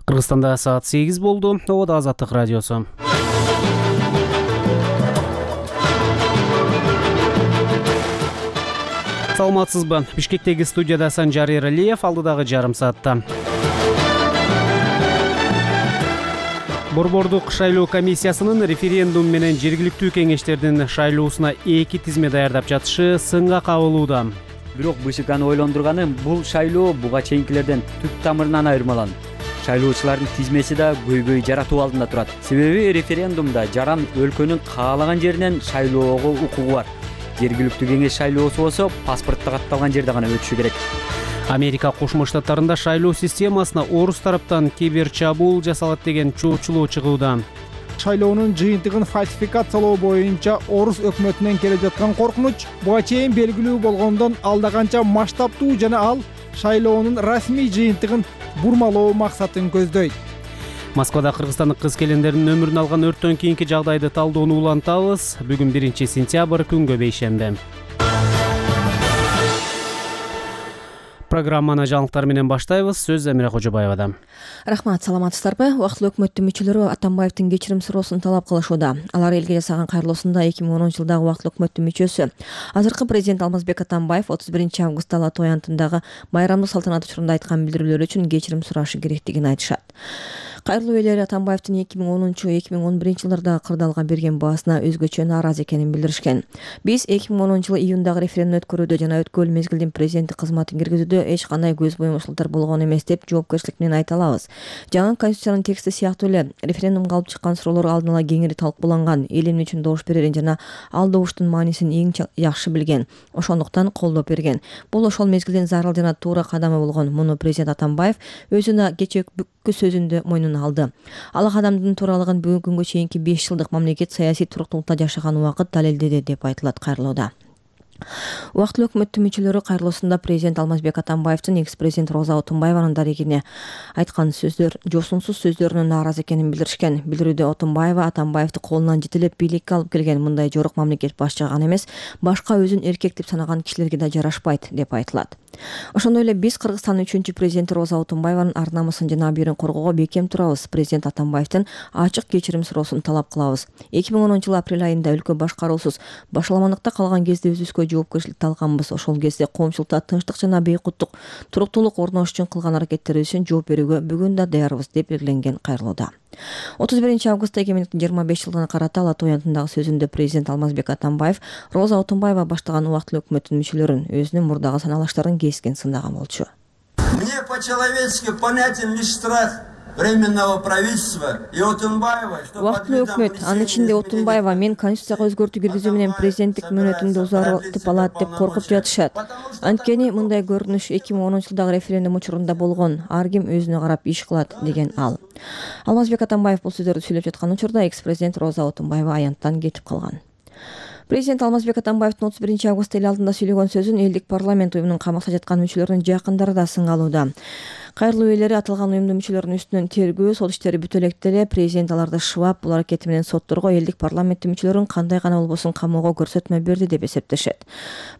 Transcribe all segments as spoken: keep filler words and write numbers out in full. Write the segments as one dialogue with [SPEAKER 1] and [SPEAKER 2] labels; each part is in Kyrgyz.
[SPEAKER 1] Кыргызстанда саат сегиз болду. Обода Азаттык радиосу. Саламатсызбы? Бишкектеги студияда Санжар Эралиев, алдыдагы жарым саатта. Борбордук шайлоо комиссиясынын референдум менен жергиликтүү кеңештердин шайлоосуна эки тизме даярдап жатышы сынга кабылууда.
[SPEAKER 2] Бирок БШКны ойлондурганы бул шайлоо буга чейинкилерден түп тамырынан айырмаланат. Шайлоочулардын тизмеси да көйгөй жаратуу алдында турат. Себеби референдумда жаран өлкөнүн каалаган жеринен шайлоого укугу бар. Жергиликтүү кеңеш шайлоосу болсо паспортто катталган жерде гана өтүшү керек.
[SPEAKER 1] Америка Кошмо Штаттарында шайлоо системасына орус тараптан кибер чабуул жасалат деген чоочулоо чыгууда.
[SPEAKER 3] Шайлоонун жыйынтыгын фальсификациялоо боюнча орус өкмөтүнөн келип жаткан коркунуч буга чейин белгилүү болгондон алда канча масштабтуу жана ал шайлоонун расмий жыйынтыгын бурмалоо максатын көздөйт.
[SPEAKER 1] Москвада кыргызстандык кыз-келиндердин өмүрүн алган өрттөн кийинки жагдайды талдоону улантабыз. Бүгүн биринчи сентябрь, күнгө бейшемби. Программаны жаңылыктар менен баштайбыз. Сөз Замира Кожобаевада.
[SPEAKER 4] Рахмат, саламатсыздарбы? Убактылуу өкмөттүн мүчөлөрү Атамбаевдин кечирим суроосун талап кылышууда. Алар элге жасаган кайрылуусунда эки миң онунчу жылдагы убактылуу өкмөттүн мүчөсү, азыркы президент Алмазбек Атамбаев отуз биринчи августта Ала Тоо аянтындагы майрамдык салтанат учурунда айткан билдирүүлөр үчүн кечирим сурашы керектигин айтышат. Кайрылуу ээлери Атамбаевдин эки миң онунчу эки миң он биринчи жылдардагы кырдаалга берген баасына өзгөчө нааразы экенин билдиришкен. Биз эки миң онунчу жылы июндагы референдум өткөрүүдө жана өткөрүл мезгилдин президенттик кызматын киргизүүдө эч кандай көз боюмчулуктар болгон эмес деп жоопкерчилик менен айта алабыз. Жаңы конституциянын тексти сыяктуу эле референдумга алып чыккан суроолор алдын ала кеңири талкууланган, эл эмне үчүн добуш берерин жана ал добуштун маанисин эң жакшы билген, ошондуктан колдоп берген. Бул ошол мезгилдин зарыл жана туура кадамы болгон. Муну президент Атамбаев өзүнө кечээ бүткү сөзүндө мойнуна алды. Ал кадамдын тууралыгын бүгүнкү күнгө чейинки беш жылдык мамлекет саясий туруктуулукта жашаган убакыт далилдеди деп айтылат кайрылууда. Убактылуу өкмөттүн мүчөлөрү кайрылуусунда президент Алмазбек Атамбаевдин экс-президент Роза Отунбаеванын дарегине айткан сөздөр жосунсуз сөздөрүнө нааразы экенин билдиришкен. Билдирүүдө Отунбаева Атамбаевди колунан жетелеп бийликке алып келген мындай жорок мамлекет башчыга гана эмес, башка өзүн эркек деп санаган кишилерге да жарашпайт деп айтылат. Ошондой эле биз Кыргызстандын үчүнчү президенти Роза Отунбаеванын ар намысын жана абийирин коргоого бекем турабыз. Президент Атамбаевдин ачык кечирим суроосун талап кылабыз. эки миң онунчу жылы апрель айында өлкө башкаруусуз башаламандыкта калган кезде өзүбүзгө жоопкерчиликти алганбыз. Ошол кезде коомчулукта тынчтык жана бейкуттук туруктуулук орнотуш үчүн кылган аракеттерибиз үчүн жооп берүүгө бүгүн да даярбыз деп белгиленген кайрылууда. отуз биринчи августта эки миң жыйырма беш жылына карата Ала Тоо аянтындагы сөзүндө президент Алмазбек Атамбаев Роза Отунбаева баштаган убактылуу өкмөттүн мүчөлөрүн өзүнүн мурдагы саналаштарын кескен сындаган болчу.
[SPEAKER 5] Мне по-человечески понятен лишь страх временного правительства и Отунбаева, что
[SPEAKER 4] убактылуу өкмөт, анын ичинде Отунбаева мен конституцияга өзгөртүү киргизүү менен президенттик мөөнөтүмдү узартып алат деп коркуп жатышат. Анткени мындай көрүнүш эки миң онунчу жылдагы референдум учурунда болгон. Ар ким өзүнө карап иш кылат деген ал. Алмазбек Атамбаев бул сөздөрдү сүйлөп жаткан учурда экс-президент Роза Отунбаева аянттан кетип калган. Президент Алмазбек Атамбаевдин отуз биринчи августта эл алдында сүйлөгөн сөзүн элдик парламент уюмунун камакта жаткан мүчөлөрүнүн жакындары да сынга алууда. Кайрылуу ээлери аталган уюмдун мүчөлөрүнүн үстүнөн тергөө, сот иштери бүтө электе эле президент аларды шыбап, бул аракети менен сотторго элдик парламенттин мүчөлөрүн кандай гана болбосун камоого көрсөтмө берди деп эсептешет.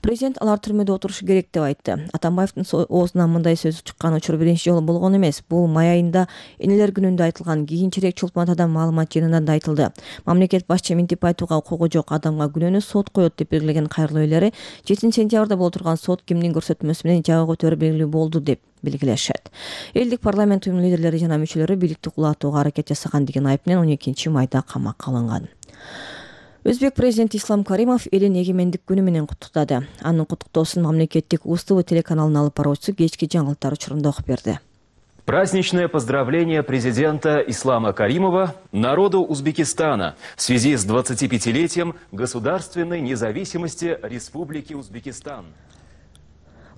[SPEAKER 4] Президент алар түрмөдө отурушу керек деп айтты. Атамбаевдин оозунан мындай сөз чыккан учур биринчи жолу болгон эмес. Бул май айында энелер күнүндө айтылган, кийинчерээк Чолпон атадан маалымат жыйынында да айтылды. Мамлекет башчы минтип айтууга укугу жок адамга күнөөнү сот коет деп белгилеген кайрылуу ээлери жетинчи сентябрда боло турган сот кимдин көрсөтмөсү менен жабык өтөрү белгилүү болду деп белгилешет. Элдик парламент уюмунун лидерлери жана мүчөлөрү бийликти кулатууга аракет жасаган деген айып менен он экинчи майда камакка алынган. Өзбек президенти Ислам Каримов элин эгемендик күнү менен куттуктады. Анын куттуктоосун мамлекеттик УЗ-ТВ телеканалынын алып баруучусу кечки жаңылыктар учурунда окуп берди.
[SPEAKER 6] Праздничное поздравление президента Ислама Каримова народу Узбекистана в связи с двадцатипятилетием государственной независимости Республики Узбекистан.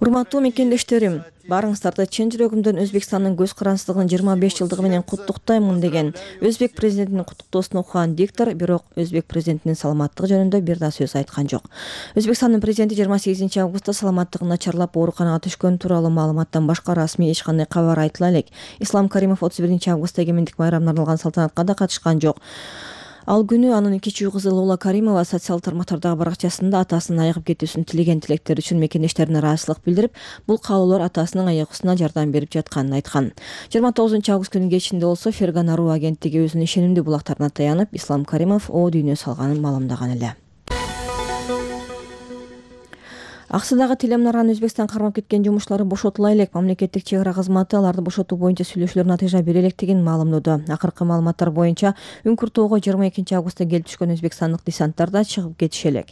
[SPEAKER 4] Урматтуу мекендештерим, барыңыздарды чын жүрөгүмдөн Өзбекстандын көз карансыздыгынын жыйырма беш жылдыгы менен куттуктаймын деген Өзбек президентинин куттуктоосун окуган диктор бирок Өзбек президентинин саламаттыгы жөнүндө бир да сөз айткан жок. Өзбекстандын президенти жыйырма сегизинчи августта саламаттыгын начарлап ооруканага түшкөн тууралуу маалыматтан башка расмий эч кандай кабар айтыла элек. Ислам Каримов отуз биринчи августта эгемендик майрамына арналган салтанатка да катышкан жок. Ал күнү анын кичүү кызы Лола Каримова социал тармактардагы баракчасында атасынын айыгып кетүүсүн тилеген тилектери үчүн мекендештерине ыраазычылык билдирип, бул каалоолор атасынын айыгуусуна жардам берип жатканын айткан. жыйырма тогузунчу август күнүнүн кечинде болсо Фергана Руу агенттиги өзүнүн ишенимдүү булактарына таянып, Ислам Каримов о дүйнө салганын маалымдаган эле. Аксыдагы телемунараны Өзбекстан кармап кеткен жумушчулары бошотула элек. Мамлекеттик чек ара кызматы аларды бошотуу боюнча сүйлөшүүлөр натыйжа бере электигин маалымдоодо. Акыркы маалыматтар боюнча Үңкүртөөгө жыйырма экинчи августта келип түшкөн өзбекстандык десанттар да чыгып кетиши элек.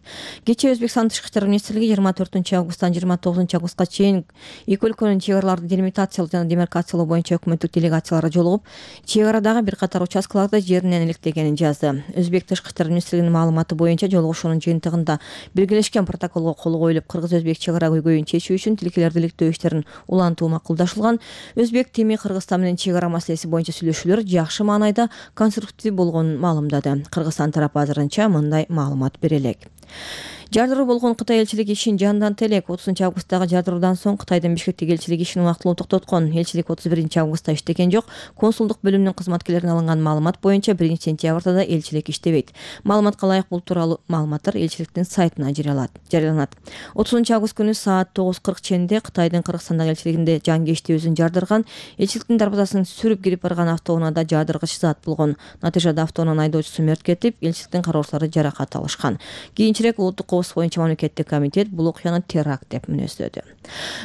[SPEAKER 4] Кечээ Өзбекстан Тышкы иштер министрлиги жыйырма төртүнчү августтан жыйырма тогузунчу августка чейин эки өлкөнүн чек араларды делимитациялоо жана демаркациялоо боюнча өкмөттүк делегациялары жолугуп, чек арадагы бир катар участкаларды жеринен иликтегенин жазды. Өзбек Тышкы иштер министрлигинин маалыматы боюнча жолугушуунун жыйынтыгында белгилешкен протоколго кол коюлуп, Кыргыз-Өзбек чек ара көйгөйүн чечүү үчүн тилкелерди иликтөө иштерин улантуу макулдашылган. Өзбек теми Кыргызстан менен чек ара маселеси боюнча сүйлөшүүлөр жакшы маанайда конструктив болгонун маалымдады. Кыргызстан тарапы азырынча мындай маалымат бере элек. Жардыруу болгон Кытай элчилиги ишин жандантты элек. отузунчу августтагы жардыруудан соң Кытайдын Бишкектеги элчилиги ишин убактылуу токтоткон. Элчилик отуз биринчи августта иштеген жок. Консулдук бөлүмүнүн кызматкерлерине алынган маалымат боюнча биринчи сентябрда да элчилик иштебейт. Маалыматка ылайык бул тууралуу маалыматтар элчиликтин сайтына жарыяланат. отузунчу август күнү саат тогуз кырк ченде Кытайдын Кыргызстандагы элчилигинде жангечти өзүн жардырган, элчиликтин дарбазасын сүрүп кирип барган автоунаада жаадыргыч зат болгон. Натыйжада автоунанын айдоочусу мерт кетип, элчиликтин кароочулары жаракат алышкан. Кийинчерээк улуттук коопсуздук боюнча мамлекеттик комитет бул окуяны теракт деп мүнөздөдү.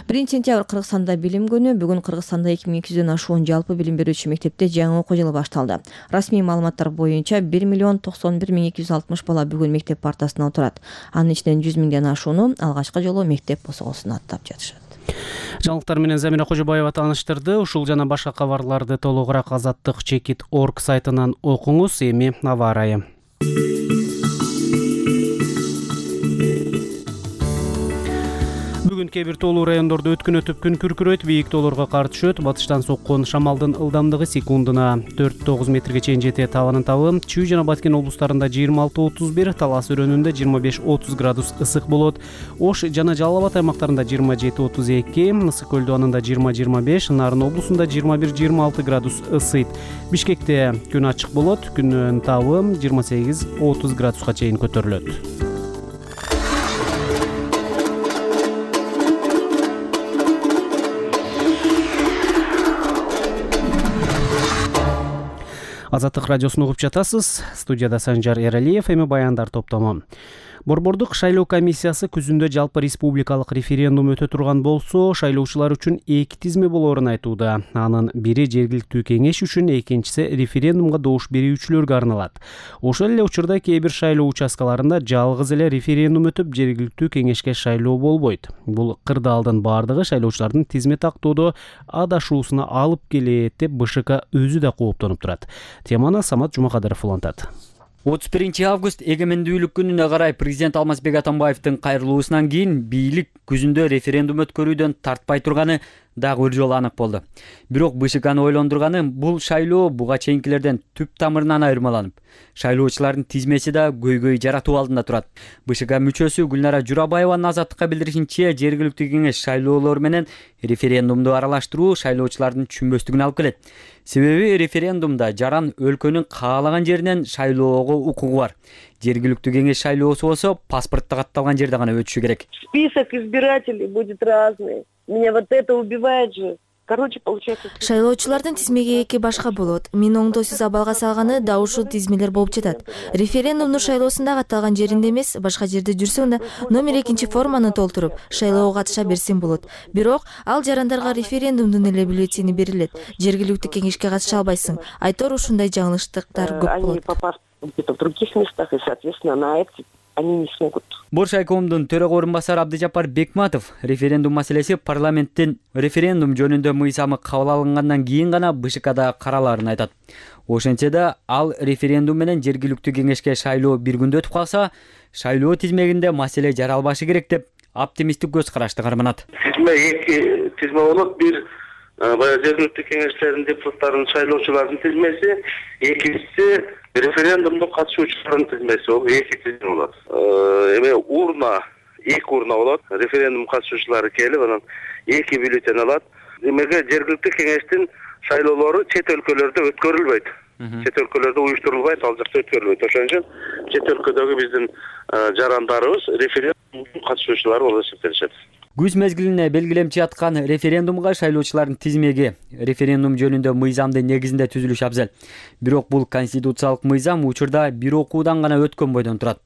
[SPEAKER 4] биринчи сентябрь Кыргызстанда билим күнү. Бүгүн Кыргызстанда эки миң эки жүздөн ашуун жалпы билим берүүчү мектепте жаңы окуу жылы башталды. Расмий маалыматтар боюнча бир миллион токсон бир миң эки жүз алтымыш бала бүгүн мектеп партасына отурат. Анын ичинен жүз миңден ашууну алгачкы жолу мектеп босогосун аттап жатышат.
[SPEAKER 1] Жаңылыктар менен Замира Кожобаева тааныштырды. Ушул жана башка кабарларды толугураак азаттык чекит точка орг сайтынан окуңуз. Эми аба ырайы. Бүгүн кээ бир тоолуу райондордо өткөн өтүп күн күркүрөйт, бийик тоолорго кар түшөт. Батыштан соккон шамалдын ылдамдыгы секундуна төрт тогуз метрге чейин жетет. Абанын табы Чүй жана Баткен облустарында жыйырма алты отуз бир, Талас өрөөнүндө жыйырма беш отуз градус ысык болот. Ош жана Жалал Абад аймактарында жыйырма жети отуз эки, Ысык көлдү анында жыйырма жыйырма беш, Нарын облусунда жыйырма бир жыйырма алты градус ысыйт. Бишкекте күн ачык болот, күнүн табы жыйырма сегиз отуз градуска чейин көтөрүлөт. Азаттык радиосун угуп жатасыз. Студияда Санжар Эралиев, эми баяндар топтому. Борбордук шайлоо комиссиясы күзүндө жалпы республикалык референдум өтө турган болсо, шайлоочулар үчүн эки тизме болоорун айтууда. Анын бири жергиликтүү кеңеш үчүн, экинчиси референдумга добуш берүүчүлөргө арналат. Ошол эле учурда кээ бир шайлоо участкаларында жалгыз эле референдум өтүп, жергиликтүү кеңешке шайлоо болбойт. Бул кырдаалдын бардыгы шайлоочулардын тизме тактоодо адашуусуна алып келет деп БШК өзү да кооптонуп турат. Теманы Самат Жумакадыров улантат.
[SPEAKER 2] отуз биринчи август эгемендүүлүк күнүнө карай президент Алмазбек Атамбаевдин кайрылуусунан кийин бийлик күзүндө референдум өткөрүүдөн тартпай турганы дагы бир жолу анык болду. Бирок БШКны ойлондурганы бул шайлоо буга чейинкилерден түп тамырынан айырмаланып, шайлоочулардын тизмеси да көйгөй жаратуу алдында турат. БШК мүчөсү Гүлнара Журабаеванын Азаттыкка билдиришинче, жергиликтүү кеңеш шайлоолор менен референдумду аралаштыруу шайлоочулардын түшүнбөстүгүнө алып келет. Себеби референдумда жаран өлкөнүн каалаган жеринен шайлоого укугу бар. Жергиликтүү кеңеш шайлоосу болсо паспортто катталган жерде гана өтүшү керек.
[SPEAKER 7] Список избирателей будет разный. Меня вот это убивает же. Короче, получается...
[SPEAKER 8] Шайлоочулардын тизмеги эки башка болот. Мен оңдоосуз абалга салганы да ушул тизмелер болуп жатат. Референдумдун шайлоосунда катталган жеринде эмес, башка жерде жүрсөң да номер экинчи форманы толтуруп шайлоого катыша берсең болот. Бирок ал жарандарга референдумдун эле бюллетени берилет. Жергиликтүү кеңешке катыша албайсың. Айтор ушундай жаңылыштыктар көп болот.
[SPEAKER 7] Они попасть где-то в других местах, и, соответственно, на эти они не смогут.
[SPEAKER 2] Боршайкомдун төрөгө орун басары Абдыжапар Бекматов референдум маселеси парламенттин референдум жөнүндө мыйзамы кабыл алынгандан кийин гана БШКда каралаарын айтат. Ошентсе да ал референдум менен жергиликтүү кеңешке шайлоо бир күндө өтүп калса, шайлоо тизмегинде маселе жаралбашы керек деп оптимисттик көз карашты карманат.
[SPEAKER 9] Тизме эки тизме болот. Бир баягы жергиликтүү кеңештердин депутаттарынын шайлоочулардын тизмеси, экинчиси референдумдун катышуучулардын тизмеси. Бул эки тизме болот. Эме урна, эки урна болот. Референдум катышуучулары келип, анан эки бюллетень алат. Демек жергиликтүү кеңештин шайлоолору чет өлкөлөрдө өткөрүлбөйт. чет өлкөлөрдө уюштурулбайт, ал жакта өткөрүлбөйт. Ошон үчүн чет өлкөдөгү биздин жарандарыбыз референдум катышуучулары болуп эсептелишет.
[SPEAKER 2] Күз мезгилине белгилемчи аткан референдумга шайлоочулардын тизмеги референдум жөнүндө мыйзамдын негизинде түзүлүш абзел. Бирок бул конституциялык мыйзам учурда бир окуудан гана өткөн бойдон турат.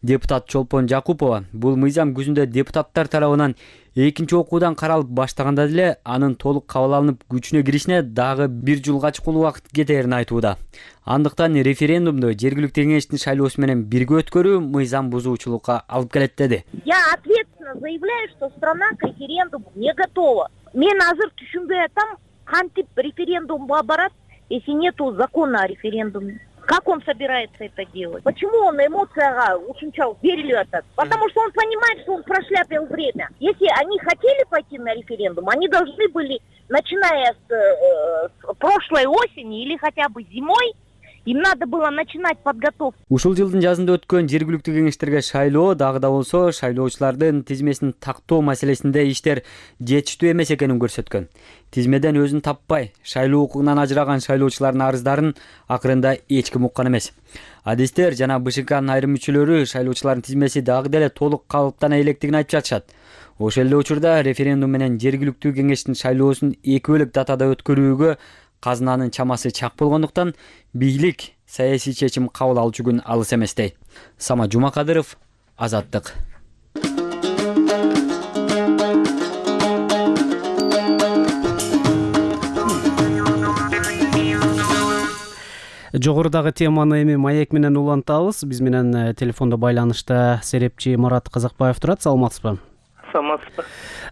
[SPEAKER 2] Депутат Чолпон Жакупова бул мыйзам күзүндө депутаттар тарабынан экинчи окуудан каралып баштаганда деле анын толук кабыл алынып күчүнө киришине дагы бир жылга чукул убакыт кетерин айтууда. Андыктан референдумду жергиликтүү кеңештин шайлоосу менен бирге өткөрүү мыйзам бузуучулукка алып келет деди.
[SPEAKER 10] Я ответственно заявляю, что страна к референдуму не готова. Мен азыр түшүнбөй атам, кантип референдумга барат, если нету закона о референдуме. Как он собирается это делать? Почему он эмоцияга ушунчалык берилип атат? Потому что он понимает, что он прошляпил время. Если они хотели пойти на референдум, они должны были, начиная с, э, с прошлой осени или хотя бы зимой, им надо было начинать подготовку.
[SPEAKER 2] Ушул жылдын жазында өткөн жергиликтүү кеңештерге шайлоо дагы да болсо шайлоочулардын тизмесин тактоо маселесинде иштер жетиштүү эмес экенин көрсөткөн. Тизмеден өзүн таппай, шайлоо укугунан ажыраган шайлоочулардын арыздарын акырында эч ким уккан эмес. Адистер жана БШКнын айрым мүчөлөрү шайлоочулардын тизмеси дагы деле толук калыптана электигин айтып жатышат. Ошол эле учурда референдум менен жергиликтүү кеңештин шайлоосун эки бөлөк датада өткөрүүгө казынанын чамасы чак болгондуктан бийлик саясий чечим кабыл алуучу күн алыс эмес дейт. Сама Жумакадыров, Азаттык.
[SPEAKER 1] Жогорудагы теманы эми маек менен улантабыз. Биз менен телефондо байланышта серепчи Марат Казакбаев турат. Саламатсызбы?
[SPEAKER 11] Саламатсызбы.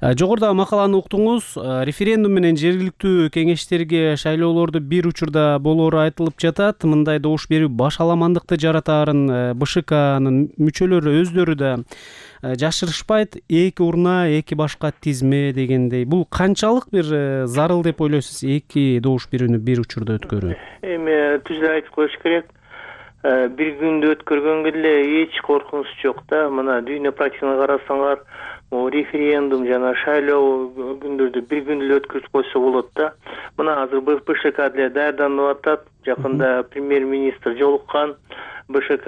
[SPEAKER 1] Жогоруда макаланы уктуңуз. Референдум менен жергиликтүү кеңештерге шайлоолорду бир учурда болоору айтылып жатат. Мындай добуш берүү башаламандыкты жаратаарын БШКнын мүчөлөрү өздөрү да жашырышпайт. Эки урна, эки башка тизме дегендей. Бул канчалык бир зарыл деп ойлойсуз, эки добуш берүүнү бир учурда өткөрүү?
[SPEAKER 11] Эми түз эле айтып коюш керек. Бир күндө өткөргөнгө деле эч коркунуч жок да. Мына дүйнө практиканы карасаңар, референдум жана шайлоо күндөрдү бир күндө эле өткөрүп койсо болот да. Мына азыр БШК деле даярданып атат. Жакында премьер-министр жолуккан, БШК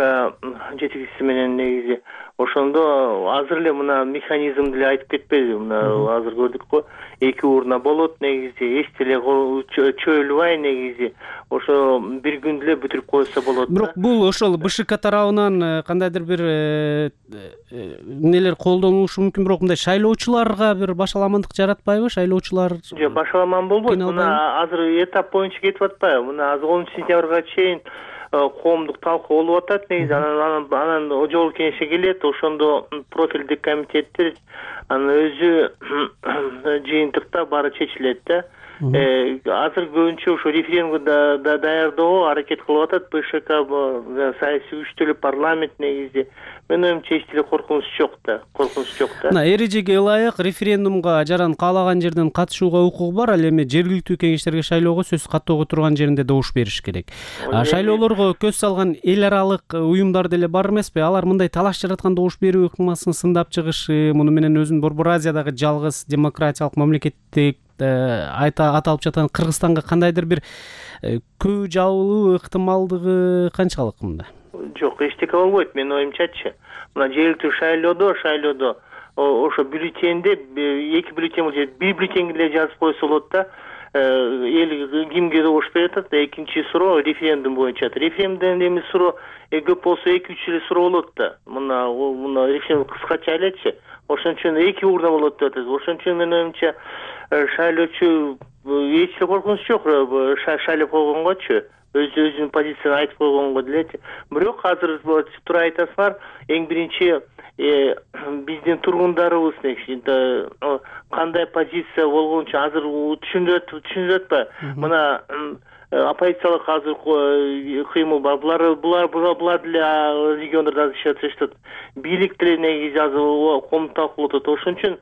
[SPEAKER 11] жетекчиси менен негизи. Ошондо азыр эле мына механизм деле айтып кетпеди. Мына азыр көрдүк го, эки урна болот негизи, эч деле чөйлүбай негизи. Ошо бир күндө эле бүтүрүп койсо болот.
[SPEAKER 1] Бирок бул ошол БШК тарабынан кандайдыр бир нелер колдонулушу мүмкүн, бирок мындай шайлоочуларга бир башаламандык жаратпайбы? Шайлоочулар
[SPEAKER 11] жок, башаламан болбойт. Мына азыр этап боюнча кетип атпайбы? Мына азыр онунчу сентябрга чейин коомдук талкуу болуп атат негизи. Анан анан жогорку кеңешке келет, ошондо профилдик комитеттер анын өзү жыйынтыкта баары чечилет да. Азыр көбүнчө ошо референдумду даярдоого аракет кылып атат БШК, саясий күчтөр, парламент негизи. Менин оюмча эч деле коркунуч жок да, коркунуч жок да.
[SPEAKER 1] Мына эрежеге ылайык референдумга жаран каалаган жерден катышууга укугу бар, ал эми жергиликтүү кеңештерге шайлоого сөз каттоого турган жеринде добуш бериш керек. Шайлоолорго көз салган эл аралык уюмдар деле бар эмеспи? Алар мындай талаш жараткан добуш берүү ыкмасын сындап чыгышы, муну менен өзүн Борбор Азиядагы жалгыз демократиялык мамлекеттик айта аталып жаткан Кыргызстанга кандайдыр бир көө жабылуу ыктымалдыгы канчалык мында?
[SPEAKER 11] Жок, эчтеке болбойт менин оюмчачы. Мына жергиликтүү шайлоодо, шайлоодо ошо бюллетенде эки бюллетен болот, бир бюллетенге эле жазып койсо болот да. Эл кимге добуш берет атат? Экинчи суроо референдум боюнча. Референдумдун эми суроо көп болсо эки үч эле суроо болот да. Мына мына референдум кыскача элечи. Ошон үчүн эки урна болот деп атат. Ошон үчүн менин оюмча шайлоочу эч да коркунуч жок шайлап койгонгочу. Өз өзүнүн позициясын айтып койгонго делечи. Бирок азыр туура айтасыңар, эң биринчи биздин тургундарыбыз кандай позиция болгончу азыр түшүнүп түшүнүп атпайбы? Мына оппозициялык азыр кыймыл бар. Булар булар булар деле региондордо иштеп жатышат. Бийлик деле негизи азыр коомдук талкуу болуп атат. Ошон үчүн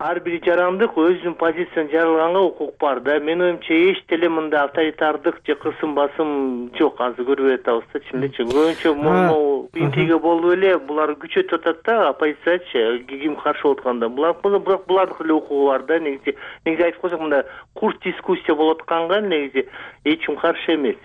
[SPEAKER 11] ар бир жарандык өзүнүн позициясын жарыяганга укук бар да. Менин оюмча эч деле мындай авторитардык же кысым басым жок, азыр көрүп атабыз да, чын элечи. Көбүнчө могу интрига болуп эле булар күчөтүп атат да, оппозициячы ким каршы болуп атканда. Булар бирок булардын эле укугу бар да, негизи. Негизи айтып койсок, мында курс дискуссия болуп атканга негизи эч ким каршы эмес.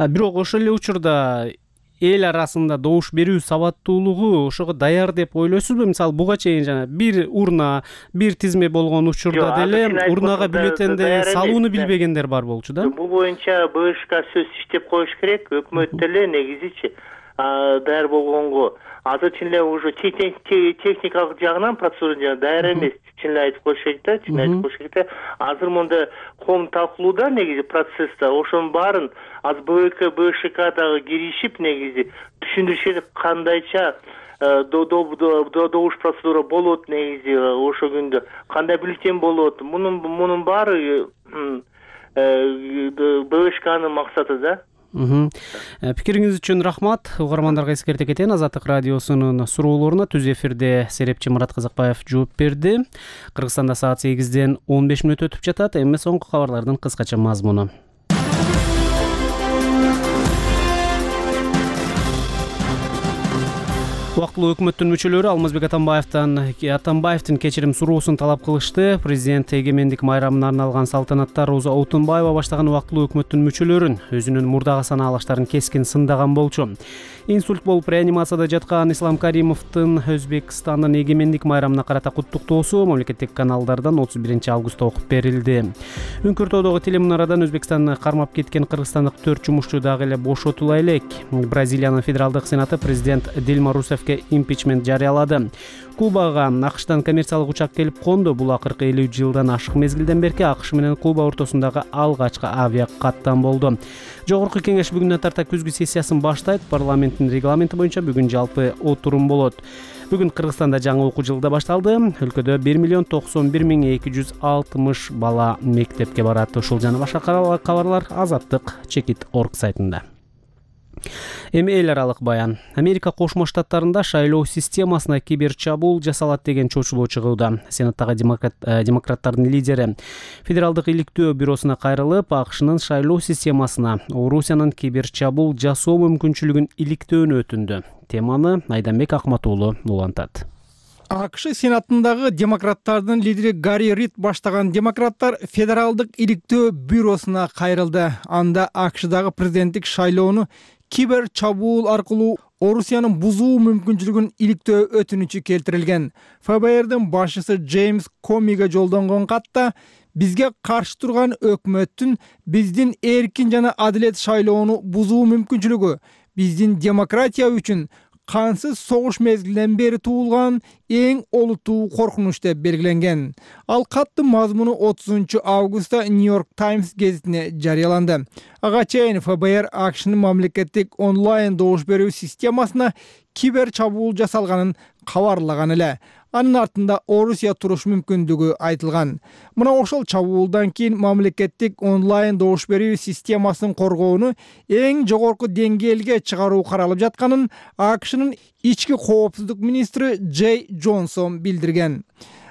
[SPEAKER 1] Бирок ошол эле учурда эл арасында добуш берүү сабаттуулугу ошого даяр деп ойлойсузбу? Мисалы буга чейин жана бир урна, бир тизме болгон учурда деле урнага бюллетенди салууну билбегендер бар болчу да.
[SPEAKER 11] Бул боюнча БШК сөзсүз иштеп коюш керек, өкмөт деле негизичи даяр болгонго. Азыр чын эле уже техникалык жагынан процедура жана даяр эмес, чын эле айтып коюш керек да, чын айтып коюш керек да. Азыр монда коом талкуулоодо негизи процессте ошонун баарын азыр БК, БШК дагы киришип негизи түшүндүрүшүп кандайча добуш процедура болот негизи ошо күндө, кандай бюллетень болот. Мунун мунун баары БШКнын максаты да.
[SPEAKER 1] Пикириңиз үчүн рахмат. Угармандарга эскерте кетейин, Азаттык радиосунун суроолоруна түз эфирде серепчи Мурат Казакбаев жооп берди. Кыргызстанда саат сегизден он беш мүнөт өтүп жатат. Эми соңку кабарлардын кыскача мазмуну. Убактылуу өкмөттүн мүчөлөрү Алмазбек Атамбаевдин Атамбаевдин кечирим суроосун талап кылышты. Президент эгемендик майрамына арналган салтанатта Роза Отунбаева баштаган убактылуу өкмөттүн мүчөлөрүн өзүнүн мурдагы санаалаштарын кескин сындаган болчу. Инсульт болуп реанимацияда жаткан Ислам Каримовдун Өзбекстандын эгемендик майрамына карата куттуктоосу мамлекеттик каналдардан отуз биринчи августта окуп берилди. Үңкүртөөдөгү телемунарадан Өзбекстанды кармап кеткен кыргызстандык төрт жумушчу дагы эле бошотула элек. Бразилиянын федералдык сенаты президент Дилма Русефке импичмент жарыялады. Кубага АКШтан коммерциялык учак келип конду. Бул акыркы элүү жылдан ашык мезгилден берки АКШ менен Куба ортосундагы алгачкы авиа каттам болду. Жогорку кеңеш бүгүнөн тарта күзгү сессиясын баштайт. Парламенттин регламенти боюнча бүгүн жалпы отурум болот. Бүгүн Кыргызстанда жаңы окуу жылы да башталды. Өлкөдө бир миллион токсон бир миң эки жүз алтымыш бала мектепке барат. Ушул жана башка кабарлар Азаттык чекит точка орг сайтында. Эми эл аралык баян. Америка Кошмо Штаттарында шайлоо системасына кибер чабуул жасалат деген чочулоо чыгууда. Сенаттагы демократ, демократтардын лидери Федералдык иликтөө бюросуна кайрылып, АКШнын шайлоо системасына Орусиянын кибер чабуул жасоо мүмкүнчүлүгүн иликтөөнү өтүндү. Теманы Айданбек Акматуулу улантат.
[SPEAKER 3] АКШ сенатындагы демократтардын лидери Гарри Рид баштаган демократтар Федералдык иликтөө бюросуна кайрылды. Анда АКШдагы президенттик шайлоону кибер чабуул аркылуу Орусиянын бузуу мүмкүнчүлүгүн иликтөө өтүнүчү келтирилген. ФБРдин башчысы Джеймс Комиге жолдонгон катта бизге каршы турган өкмөттүн биздин эркин жана адилет шайлоону бузуу мүмкүнчүлүгү биздин демократия үчүн кансыз согуш мезгилинен бери туулган эң олуттуу коркунуч деп белгиленген. Ал каттын мазмуну отузунчу августта Нью-Йорк Таймс гезитине жарыяланды. Ага чейин ФБР АКШнын мамлекеттик онлайн добуш берүү системасына кибер чабуул жасалганын кабарлаган эле. Анын артында Орусия туруш мүмкүндүгү айтылган. Мына ошол чабуулдан кийин мамлекеттик онлайн добуш берүү системасын коргоону эң жогорку деңгээлге чыгаруу каралып жатканын АКШнын ички коопсуздук министри Джей Джонсон билдирген.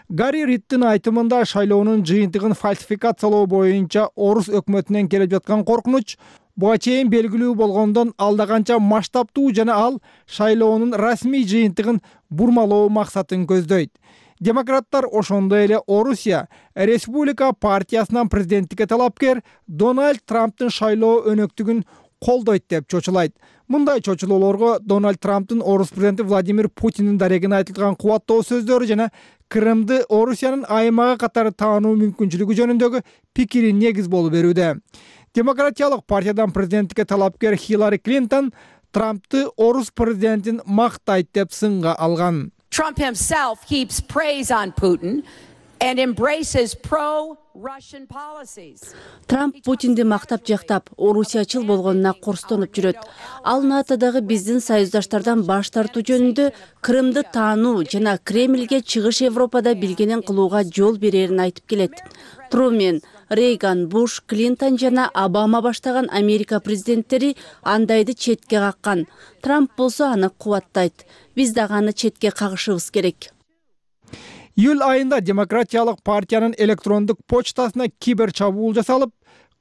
[SPEAKER 3] Гарри Риддин айтымында шайлоонун жыйынтыгын фальсификациялоо боюнча Орус өкмөтүнөн келип жаткан коркунуч буга чейин белгилүү болгондон алда канча масштабтуу жана ал шайлоонун расмий жыйынтыгын бурмалоо максатын көздөйт. Демократтар ошондой эле Орусия Республика партиясынан президенттикке талапкер Дональд Трамптын шайлоо өнөктүгүн колдойт деп чочулайт. Мындай чочулоолорго Дональд Трамптын Орус президенти Владимир Путиндин дарегине айтылган кубаттоо сөздөрү жана Крымды Орусиянын аймагы катары таануу мүмкүнчүлүгү жөнүндөгү пикири негиз болуп берүүдө. Демократиялык партиядан президенттикке талапкер Хиллари Клинтон Трампты Орус президентин мактайт деп сынга алган.
[SPEAKER 12] Trump himself heaps praise on Putin and embraces pro-Russian policies.
[SPEAKER 13] Трамп Путинди мактап жактап, орусиячыл болгонуна корстонуп жүрөт. Ал НАТОдогу биздин союздаштардан баш тартуу жөнүндө Крымды таануу жана Кремльге чыгыш Европада билгенин кылууга жол берерин айтып келет. Трумен, Рейган, Буш, Клинтон жана Обама баштаган Америка президенттери андайды четке каккан. Трамп болсо аны кубаттайт. Биз дагы аны четке кагышыбыз керек.
[SPEAKER 3] Июль айында Демократиялык партиянын электрондук почтасына кибер чабуул жасалып,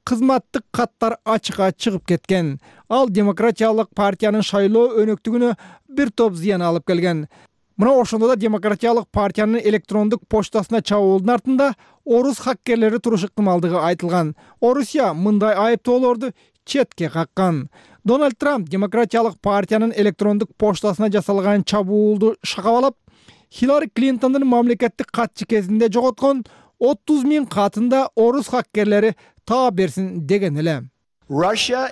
[SPEAKER 3] кызматтык каттар ачыкка чыгып кеткен. Ал Демократиялык партиянын шайлоо өнөктүгүнө бир топ зыян алып келген. Мына ошондо да Демократиялык партиянын электрондук почтасына чабуулдун артында орус хаккерлери турушу ыктымалдыгы айтылган. Орусия мындай айыптоолорду четке каккан. Дональд Трамп Демократиялык партиянын электрондук почтасына жасалган чабуулду шакабалап, Хиллари Клинтондун мамлекеттик катчы кезинде жоготкон отуз миң катында орус хаккерлери таап берсин деген эле.
[SPEAKER 14] Орусия,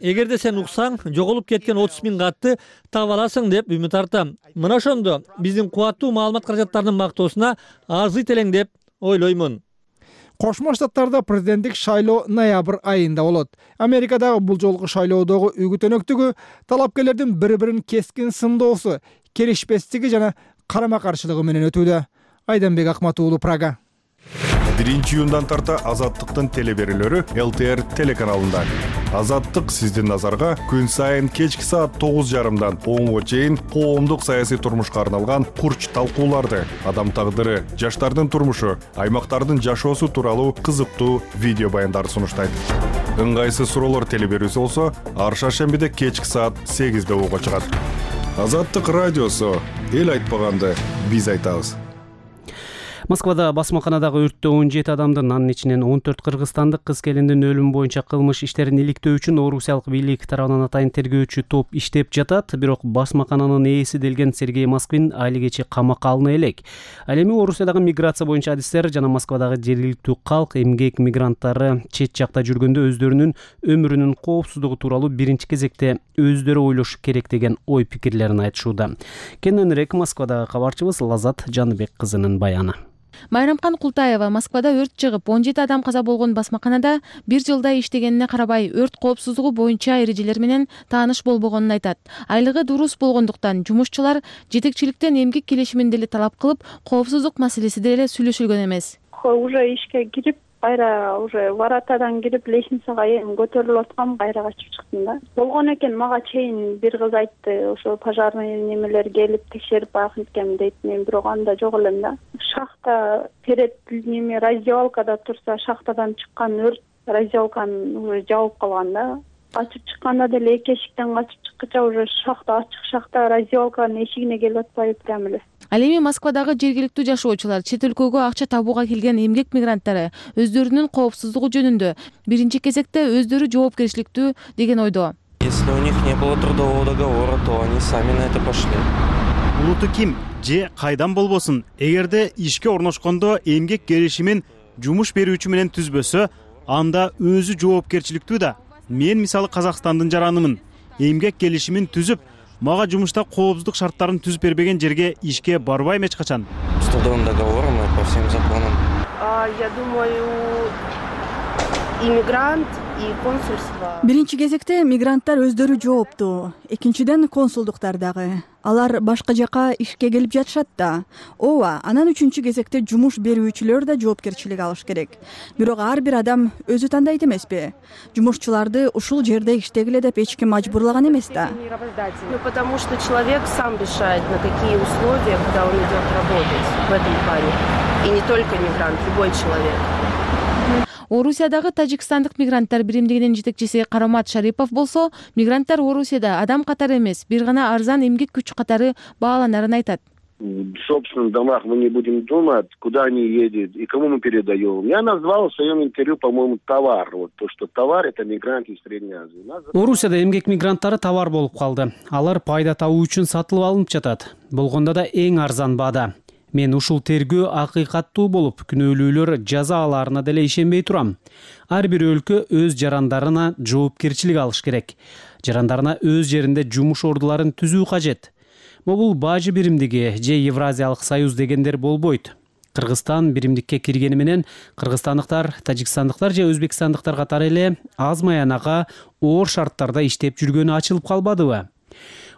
[SPEAKER 14] эгерде сен уксаң, жоголуп кеткен отуз миң катты таап аласың деп үмүт артам. Мына ошондо биздин кубаттуу маалымат каражаттарынын мактоосуна арзыйт элең деп ойлоймун.
[SPEAKER 3] Кошмо Штаттарда президенттик шайлоо ноябрь айында болот. Америкадагы бул жолку шайлоодогу үгүт өнөктүгү талапкерлердин бири-бирин кескин сындоосу, келишпестиги жана карама-каршылыгы менен өтүүдө. Айданбек Акмат уулу, Прага.
[SPEAKER 15] биринчи июндан тарта Азаттыктын телеберүүлөрү эл тэ эр телеканалында. Азаттык сиздин назарга күн сайын кечки саат тогуз жарымдан онго чейин коомдук саясий турмушка арналган курч талкууларды, адам тагдыры, жаштардын турмушу, аймактардын жашоосу тууралуу кызыктуу видео баяндарды сунуштайт. Ыңгайсыз суроолор телеберүүсү болсо, ар шаршембиде кечки саат сегизде ого чыгат. Азаттык радиосу, эл айтпаганды биз айтабыз.
[SPEAKER 1] Москвада басмаканадагы өрттө он жети адамдын, анын ичинен он төрт кыргызстандык кыз келиндин өлүмү боюнча кылмыш иштерин иликтөө үчүн орусиялык бийлик тарабынан атайын тергөөчү топ иштеп жатат. Бирок басмакананын ээси делген Сергей Москвин али кечи камакка алына элек. Ал эми Орусиядагы миграция боюнча адистер жана Москвадагы жергиликтүү калк эмгек мигранттары чет жакта жүргөндө өздөрүнүн өмүрүнүн коопсуздугу тууралуу биринчи кезекте өздөрү ойлошу керек деген ой пикирлерин айтышууда. Кененирээк Москвадагы кабарчыбыз Лазат Жаныбек кызынын баяны.
[SPEAKER 16] Майрамкан Култаева Москвада өрт чыгып, он жети адам каза болгон басмаканада бир жылдай иштегенине карабай, өрт коопсуздугу боюнча эрежелер менен тааныш болбогонун айтат. Айлыгы дурус болгондуктан жумушчулар жетекчиликтен эмгек келишимин деле талап кылып, коопсуздук маселеси деле сүйлөшүлгөн эмес.
[SPEAKER 17] Уже ишке кирип, кайра уже воротадан кирип лестницага эми көтөрүлүп аткам, кайра качып чыктым да. Болгон экен, мага чейин бир кыз айтты, ошо пожарный немелер келип текшерип байканткем дейт. Мен бирок анда жок элем да. Шахта перед неме раздевалкада турса, шахтадан чыккан өрт раздевалканы уже жабып калган да. Качып чыкканда деле эки эшиктен качып чыккыча уже шахта ачык, шахта раздевалканын эшигине келип атпайбы прям эле.
[SPEAKER 16] Ал эми Москвадагы жергиликтүү жашоочулар чет өлкөгө акча табууга келген эмгек мигранттары өздөрүнүн коопсуздугу жөнүндө биринчи кезекте өздөрү жоопкерчиликтүү деген ойдо.
[SPEAKER 18] Если у них не было трудового договора, то они сами на это пошли.
[SPEAKER 19] Улуту ким же кайдан болбосун, эгерде ишке орношкондо эмгек келишимин жумуш берүүчү менен түзбөсө, анда өзү жоопкерчиликтүү да. Мен мисалы Казакстандын жаранымын. Эмгек келишимин түзүп, мага жумушта коопсуздук шарттарын түзүп бербеген жерге ишке барбайм эч качан.
[SPEAKER 18] С трудовым договором и по всем законам.
[SPEAKER 17] Я думаю, иммигрант и консульство.
[SPEAKER 20] Биринчи кезекте мигранттар өздөрү жооптуу. Экинчиден консулдуктар дагы. Алар башка жака ишке келип жатышат да. Ооба, анан үчүнчү кезекте жумуш берүүчүлөр да жоопкерчилик алыш керек. Бирок ар бир адам өзү тандайт эмеспи? Жумушчуларды ушул жерде иштегиле деп эч ким мажбурлаган эмес да.
[SPEAKER 17] Ну потому что человек сам решает, на какие условия, когда он идет работать в этом плане. И не только мигрант, любой человек.
[SPEAKER 16] Орусиядагы тажикстандык мигранттар биримдигинин жетекчиси Карамат Шарипов болсо, мигранттар Орусияда адам катары эмес, бир гана арзан эмгек күч катары бааланарын айтат.
[SPEAKER 21] В собственных домах мы не будем думать, куда они едут и кому мы передаем. Я назвал в своем интервью, по-моему, товар. Вот то, что товар — это мигранты из Средней Азии.
[SPEAKER 1] Орусияда эмгек мигранттары товар болуп калды. Алар пайда табуу үчүн сатылып алынып жатат. Болгондо да эң арзан баада. Мен ушул тергөө акыйкаттуу болуп, күнөөлүүлөр жаза аларына деле ишенбей турам. Ар бир өлкө өз жарандарына жоопкерчилик алыш керек. Жарандарына өз жеринде жумуш ордуларын түзүү кажет. Бул бажы биримдиги же Евразиялык союз дегендер болбойт. Кыргызстан биримдикке киргени менен кыргызстандыктар, тажикстандыктар же өзбекстандыктар катары эле аз маянага оор шарттарда иштеп жүргөнү ачылып калбадыбы?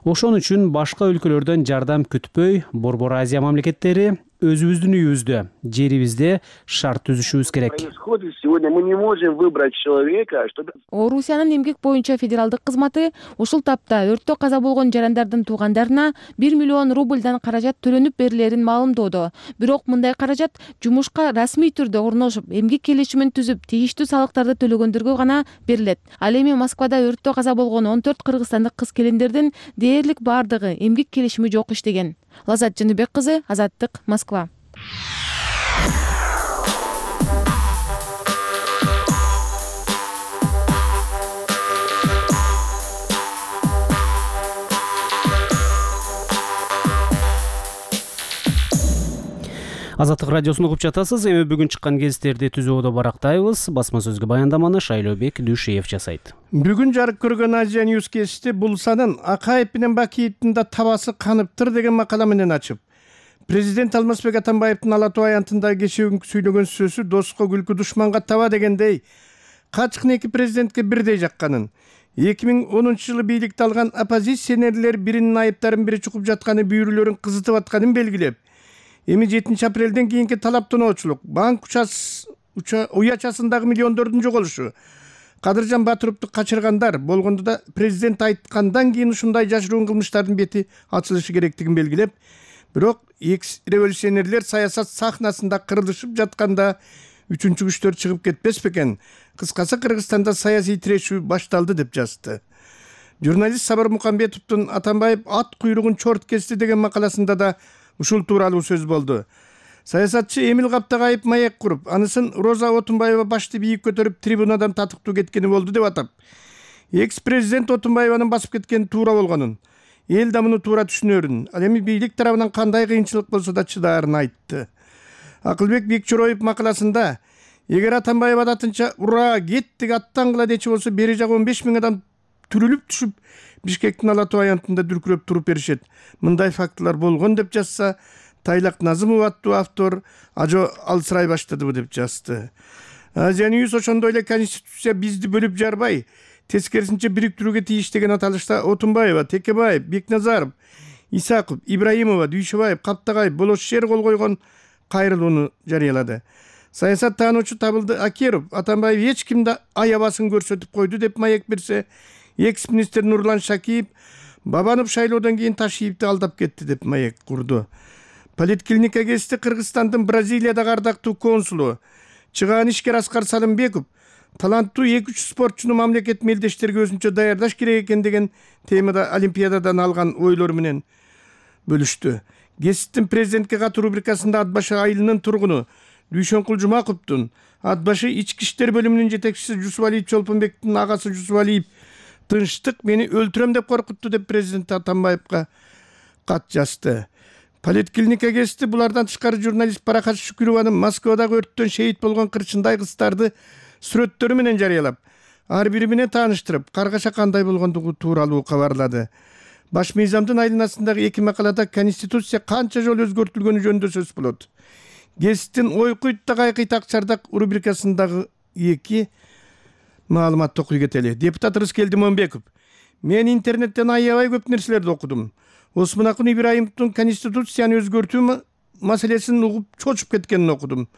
[SPEAKER 1] Ошон үчүн башка өлкөлөрдөн жардам күтпөй, Борбор Азия мамлекеттери өзүбүздүн үйүбүздө, жерибизде шарт түзүшүбүз керек.
[SPEAKER 21] Происходит сегодня, мы не можем выбрать человека, чтобы...
[SPEAKER 16] Орусиянын эмгек боюнча федералдык кызматы ушул тапта өрттө каза болгон жарандардын туугандарына бир миллион рубльдан каражат төлөнүп берилерин маалымдоодо. Бирок мындай каражат жумушка расмий түрдө орношуп, эмгек келишимин түзүп, тийиштүү салыктарды төлөгөндөргө гана берилет. Ал эми Москвада өрттө каза болгон он төрт кыргызстандык кыз-келиндердин дээрлик бардыгы эмгек келишими жок иштеген. Лазат Жаныбек кызы, Азаттык, Москва.
[SPEAKER 1] Азаттык радиосун угуп жатасыз. Эми бүгүн чыккан гезиттерди түзүүдө барактайбыз. Басма сөзгө баяндаманы Шайлообек Дүйшеев жасайт.
[SPEAKER 5] Бүгүн жарык көргөн Азия Ньюс кести Булсанын Акаев менен Бакиевдин да табасы каныптыр деген макала менен ачып, президент Алмазбек Атамбаевдин Ала Тоо аянтында кечээ сүйлөгөн сөзү доска күлкү душманга таба дегендей качкын эки президентке бирдей жакканын, эки миң онунчу жылы бийликти алган оппозиционерлер биринин айыптарын бири чукуп жатканы бүйүрүүлөрүн кызытып атканын белгилеп, эми жетинчи апрелден кийинки талаптоочулук, банк уячасындагы миллиондордун жоголушу, Кадыржан Батыровду качыргандар болгондо да президент айткандан кийин ушундай жашыруун кылмыштардын бети ачылышы керектигин белгилеп, бирок экс-революционерлер саясат сахнасында кырылышып жатканда үчүнчү күчтөр чыгып кетпес бекен? Кыскасы, Кыргызстанда саясий тирешүү башталды деп жазды. Журналист Сабыр Мукамбетовдун Атамбаев ат куйругун чорт кести деген макаласында да ушул тууралуу сөз болду. Саясатчы Эмил Каптагайып маек куруп, анысын Роза Отунбаева башты бийик көтөрүп трибунадан татыктуу кеткени болду деп атап, экс-президент Отунбаеванын басып кеткени туура болгонун, эл да муну туура түшүнөрүн, ал эми бийлик тарабынан кандай кыйынчылык болсо да чыдаарын айтты. Акылбек Бекчороев макаласында, эгер Атамбаев адатынча ура кеттик аттангыла дечи болсо, бери жагы он беш миң адам түрүлүп түшүп Бишкектин Ала Тоо аянтында дүркүрөп туруп беришет. Мындай фактылар болгон деп жазса, Тайлак Назымов аттуу автор ажо алсырай баштадыбы деп жазды. Азия Ньюс ошондой эле Конституция бизди бөлүп жарбай, тескерисинче бириктирүүгө тийиш деген аталышта Отунбаева, Текебаев, Бекназаров, Исаков, Ибраимова, Дүйшөбаев, Каптагайып, Болошер кол койгон кайрылууну жарыялады. Саясат таануучу Табылды Акеров Атамбаев эч кимди аябасын көрсөтүп койду деп маек берсе, экс-министр Нурлан Шакиев Бабанов шайлоодон кийин Ташиевди алдап кетти деп маек курду. Политклиника гезити Кыргызстандын Бразилиядагы ардактуу консулу чыгаан ишкер Аскар Салымбеков таланттуу эки үч спортчуну мамлекет мелдештерге өзүнчө даярдаш керек экен деген темада Олимпиададан алган ойлору менен бөлүштү. Гезиттин президентке катуу рубрикасында Атбашы айылынын тургуну Дүйшөнкул Жумаковдун, Атбашы ички иштер бөлүмүнүн жетекчиси Жусупалиев Чолпонбектин агасы Жусупалиев тынчтык мени өлтүрөм деп коркутту деп президент Атамбаевга кат жазды. Политклиника гезити булардан тышкары журналист Баракат Шүкүрованын Москвадагы өрттөн шейит болгон кырчындай кыздарды сүрөттөрү менен жарыялап, ар бири менен тааныштырып, каргаша кандай болгондугу тууралуу кабарлады. Баш мыйзамдын айланасындагы эки макалада Конституция канча жолу өзгөртүлгөнү жөнүндө сөз болот. Гезиттин ойкуйт да кайкыйтак чардак рубрикасындагы эки маалымат окуй кетели. Депутат Рыскелди Момбеков: мен интернеттен аябай көп нерселерди окудум. Осмонакун Ибраимовдун Конституцияны өзгөртүү маселесин угуп чочуп кеткенин окудум.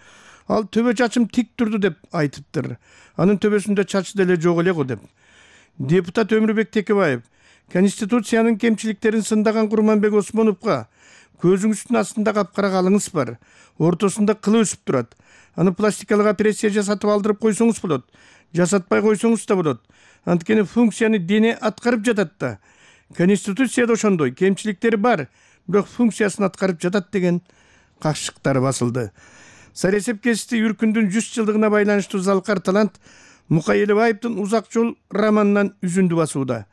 [SPEAKER 5] Ал төбө чачым тик турду деп айтыптыр. Анын төбөсүндө чач деле жок эле го деп. Депутат Өмүрбек Текебаев: Конституциянын кемчиликтерин сындаган Курманбек Осмоновго көзүңүздүн астында капкара калыңыз бар. Ортосунда кылы өсүп турат. Аны пластикалык операция жасатып алдырып койсоңуз болот. Жасатпай койсоңуз да болот. Анткени функцияны дене аткарып жатат да. Конституцияда ошондой кемчиликтери бар, бирок функциясын аткарып жатат деген кашыктар басылды. Саресеп гезити Үркүндүн жүз жылдыгына байланыштуу Залкар талант Мукай Элебаевдин Узак жол романынан үзүндү басууда.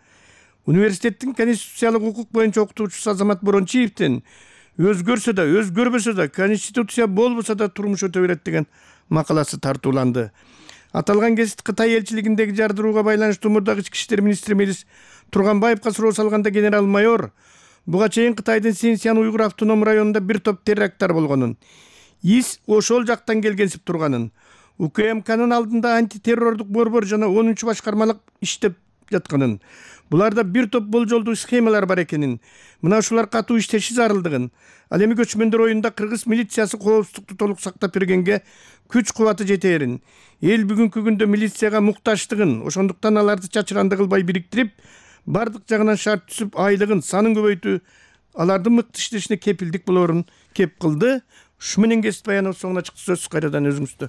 [SPEAKER 5] Университеттин конституциялык укук боюнча окутуучусу Азамат Борончиевдин өзгөрсө да, өзгөрбөсө да, конституция болбосо да турмуш өтө берет деген макаласы тартууланды. Аталган гезит Кытай элчилигиндеги жардырууга байланыштуу мурдагы ички иштер министри Мелис Турганбаевга суроо салганда генерал-майор буга чейин Кытайдын Синьцзян уйгур автоном районунда бир топ теракттар болгонун, ИС ошол жактан келгенсип турганын, УКМКнын алдында антитеррордук борбор жана онунчу башкармалык иштеп жатканын, буларда бир топ болжолдуу схемалар бар экенин, мына ушулар катуу иштеши зарылдыгын, ал эми көчмөндөр оюнда кыргыз милициясы коопсуздукту толук сактап бергенге күч кубаты жетээрин, эл бүгүнкү күндө милицияга муктачтыгын, ошондуктан аларды чачыранды кылбай бириктирип, бардык жагынан шарт түзүп, айлыгын, санын көбөйтүү алардын мыкты иштешине кепилдик болоорун кеп кылды. Ушу менен кесип баяныбыз соңуна чыкты. Сөз кайрадан өзүңүздө.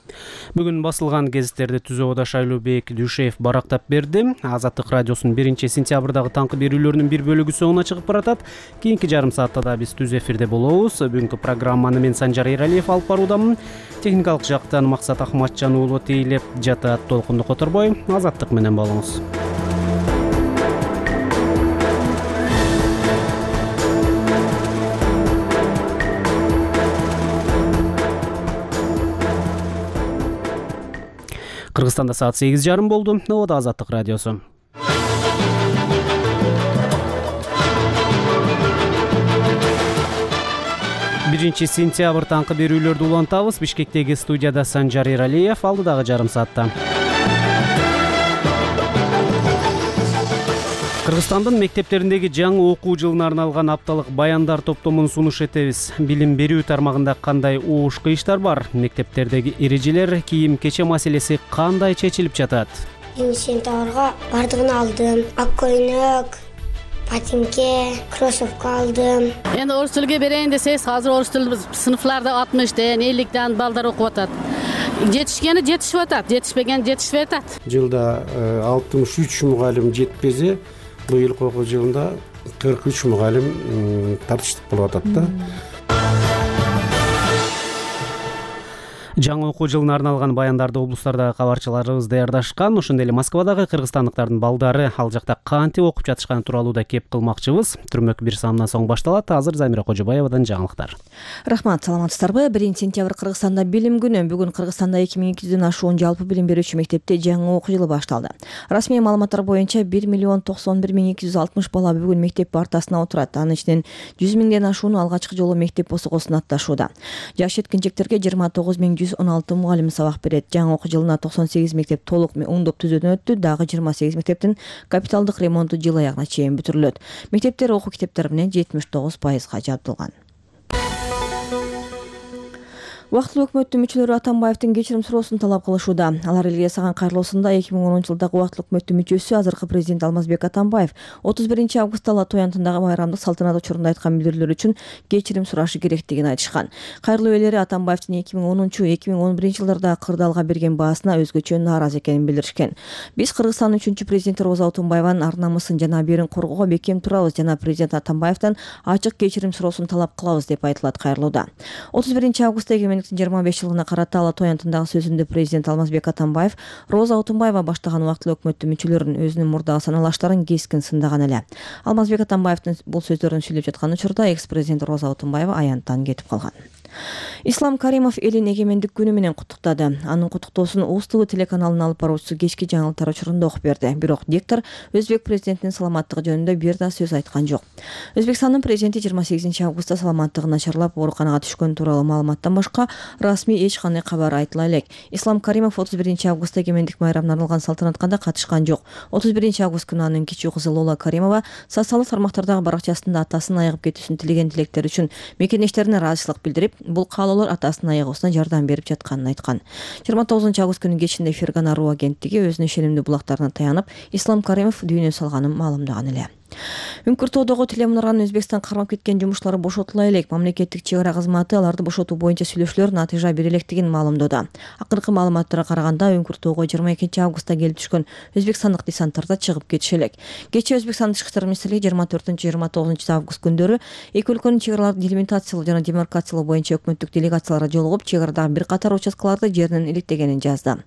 [SPEAKER 1] Бүгүн басылган гезиттерди Түзөбөдө Шайлообек Дүйшеев барактап берди. Азаттык радиосунун биринчи сентябрдагы таңкы берүүлөрүнүн бир бөлүгү соңуна чыгып баратат. Кийинки жарым саатта да биз түз эфирде болобуз. Бүгүнкү программаны мен Санжар Эралиев алып баруудамын. Техникалык жактан Максат Ахматжан уулу тейлеп жатат. Толкунду которбой, Азаттык менен болуңуз. Кыргызстанда саат сегиз жарым болду. Ободо Азаттык радиосу. биринчи сентябрь таңкы берүүлөрдү улантабыз. Бишкектеги студияда Санжар Эралиев, алдыдагы жарым саатта. Кыргызстандын мектептериндеги жаңы окуу жылына арналган апталык баяндар топтомун сунуш этебиз. Билим берүү тармагында кандай оош кыйыштар бар? Мектептердеги эрежелер, кийим кече маселеси кандай чечилип жатат?
[SPEAKER 6] биринчи сентябрга бардыгын алдым. Ак көйнөк, ботинке, кроссовка алдым.
[SPEAKER 22] Эми орус тилге берейин десеңиз, азыр орус тил сыныфларда алтымыштан, элликтен балдар окуп атат. Жетишкени жетишип атат, жетишпеген жетишпей атат.
[SPEAKER 23] Жылда алтымыш үч мугалим жетпесе, быйылкы окуу жылында кырк үч мугалим тартыштык болуп атат да.
[SPEAKER 1] Жаңы окуу жылына арналган баяндарды облустардагы кабарчыларыбыз даярдашкан. Ошондой эле Москвадагы кыргызстандыктардын балдары ал жакта кантип окуп жатышканы тууралуу да кеп кылмакчыбыз. Түрмөк бир саамдан соң башталат. Азыр Замира Кожобаевадан жаңылыктар.
[SPEAKER 4] Рахмат, саламатсыздарбы? биринчи сентябрь Кыргызстанда билим күнү. Бүгүн Кыргызстанда эки миң эки жүздөн ашуун жалпы билим берүүчү мектепте жаңы окуу жылы башталды. Расмий маалыматтар боюнча бир миллион токсон бир миң эки жүз алтымыш бала бүгүн мектеп партасына отурат. Анын ичинен жүз миңден ашууну алгачкы жолу мектеп босогосун атташууда. Жаш жеткинчектерге жыйырма тогуз миң жүз он алты мугалим сабак берет. Жаңы окуу жылына токсон сегиз мектеп толук оңдоп түзүүдөн өттү. Дагы жыйырма сегиз мектептин капиталдык ремонту жыл аягына чейин бүтүрүлөт. Мектептер окуу китептери менен жетимиш тогуз пайызга жабдылган. Убактылуу өкмөттүн мүчөлөрү Атамбаевдин кечирим суроосун талап кылышууда. Алар элге жасаган кайрылуусунда эки миң онунчу жылдагы убактылуу өкмөттүн мүчөсү азыркы президент Алмазбек Атамбаев отуз биринчи августта Ала Той антындагы байрамдык салтанат учурунда айткан билдирүүлөр үчүн кечирим сурашы керектигин айтышкан. Кайрылуу ээлери Атамбаевдин эки миң онунчу эки миң он биринчи жылдарда кырдаалга берген баасына өзгөчө нааразы экенин билдиришкен. Биз Кыргызстандын үчүнчү президенти Роза Отунбаеванын ар намысын жана абийирин коргоого бекем турабыз жана президент Атамбаевден ачык кечирим суроосун талап кылабыз деп айтылат кайрылууда. отуз биринчи августта эгемендиктин жыйырма беш жылына карата Ала Той антындагы сөзүндө президент Алмазбек Атамбаев Роза Отунбаева баштаган убактылуу өкмөттүн мүчөлөрүн өзүнүн мурдагы саналаштарын кескин сындаган эле. Алмазбек Атамбаевдин бул сөздөрүн сүйлөп жаткан учурда экс-президент Роза Отунбаева аянттан кетип калган. Ислам Каримов элин эгемендик күнү менен куттуктады. Анын куттуктоосун Уз ТВ телеканалынын алып баруучусу кечки жаңылыктар учурунда окуп берди. Бирок диктор өзбек президентинин саламаттыгы жөнүндө бир да сөз айткан жок. Өзбекстандын президенти жыйырма сегизинчи августта саламаттыгы начарлап ооруканага түшкөн тууралуу маалыматтан башка расмий эч кандай кабар айтыла элек. Ислам Каримов отуз биринчи августта эгемендик байрамына арналган салтанатка да катышкан жок. отуз биринчи август күнү анын кичүү кызы Лола Каримова социалдык тармактардагы баракчасында атасын айыгып кетүүсүн тилеген тилектери үчүн мекендештерине ыраазычылык билдирип, бул каалоолор атасынын айыгуусуна жардам берип жатканын айткан. жыйырма тогузунчу август күнү кечинде Фергана Руу агенттиги өзүнүн ишенимдүү булактарына таянып, Ислам Каримов дүйнө салганын маалымдаган эле. Үңкүр тоодогу Телемунарганын Өзбекстан кармап кеткен жумушчулары бошотула элек. Мамлекеттик чек ара кызматы аларды бошотуу боюнча сүйлөшүүлөр натыйжа бере электигин маалымдоодо. Акыркы маалыматтарга караганда Үңкүр тоого жыйырма экинчи августта келип түшкөн өзбекстандык десанттар да чыгып кетиши элек. Кечээ Өзбекстан тышкы иштер министрлиги жыйырма төртүнчү жыйырма тогузунчу август күндөрү эки өлкөнүн чек араларын делимитациялоо жана демаркациялоо боюнча өкмөттүк делегациялары жолугуп, чек арадагы бир катар участкаларды жеринен иликтегенин жазды.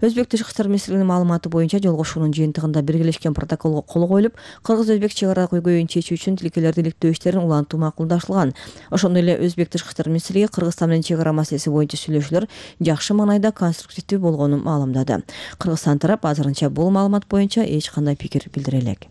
[SPEAKER 4] Өзбек тышкы иштер министрлигинин маалыматы боюнча жолугушуунун жыйынтыгында биргелешкен протоколго кол коюлуп, кыргыз-өзбек чек ара көйгөйүн чечүү үчүн тилкелерди иликтөө иштерин улантуу макулдашылган. Ошондой эле Өзбек тышкы иштер министрлиги Кыргызстан менен чек ара маселеси боюнча сүйлөшүүлөр жакшы маанайда конструктивдүү болгонун маалымдады. Кыргызстан тарап азырынча бул маалымат боюнча эч кандай пикир билдире элек.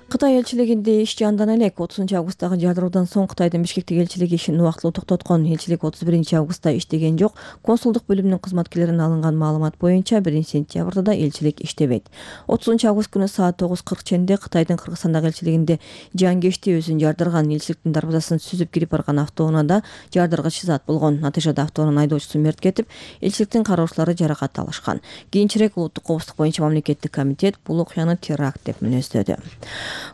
[SPEAKER 4] Кытай элчилигинде иш жандана элек. отузунчу августтагы жардыруудан соң Кытайдын Бишкектеги элчилиги ишин убактылуу токтоткон. Элчилик отуз биринчи августта иштеген жок. Консулдук бөлүмүнүн кызматкерлеринен алынган маалымат боюнча биринчи сентябрда да элчилик иштебейт. отузунчу август күнү саат тогуз кырк ченде Кытайдын Кыргызстандагы элчилигинде жанкечти өзүн жардырган. Элчиликтин дарбазасын сүзүп кирип барган автоунаада жардыргыч зат болгон. Натыйжада автоунанын айдоочусу мерт кетип, элчиликтин кароочулары жаракат алышкан. Кийинчерээк улуттук коопсуздук боюнча мамлекеттик комитет бул окуяны теракт деп мүнөздөдү.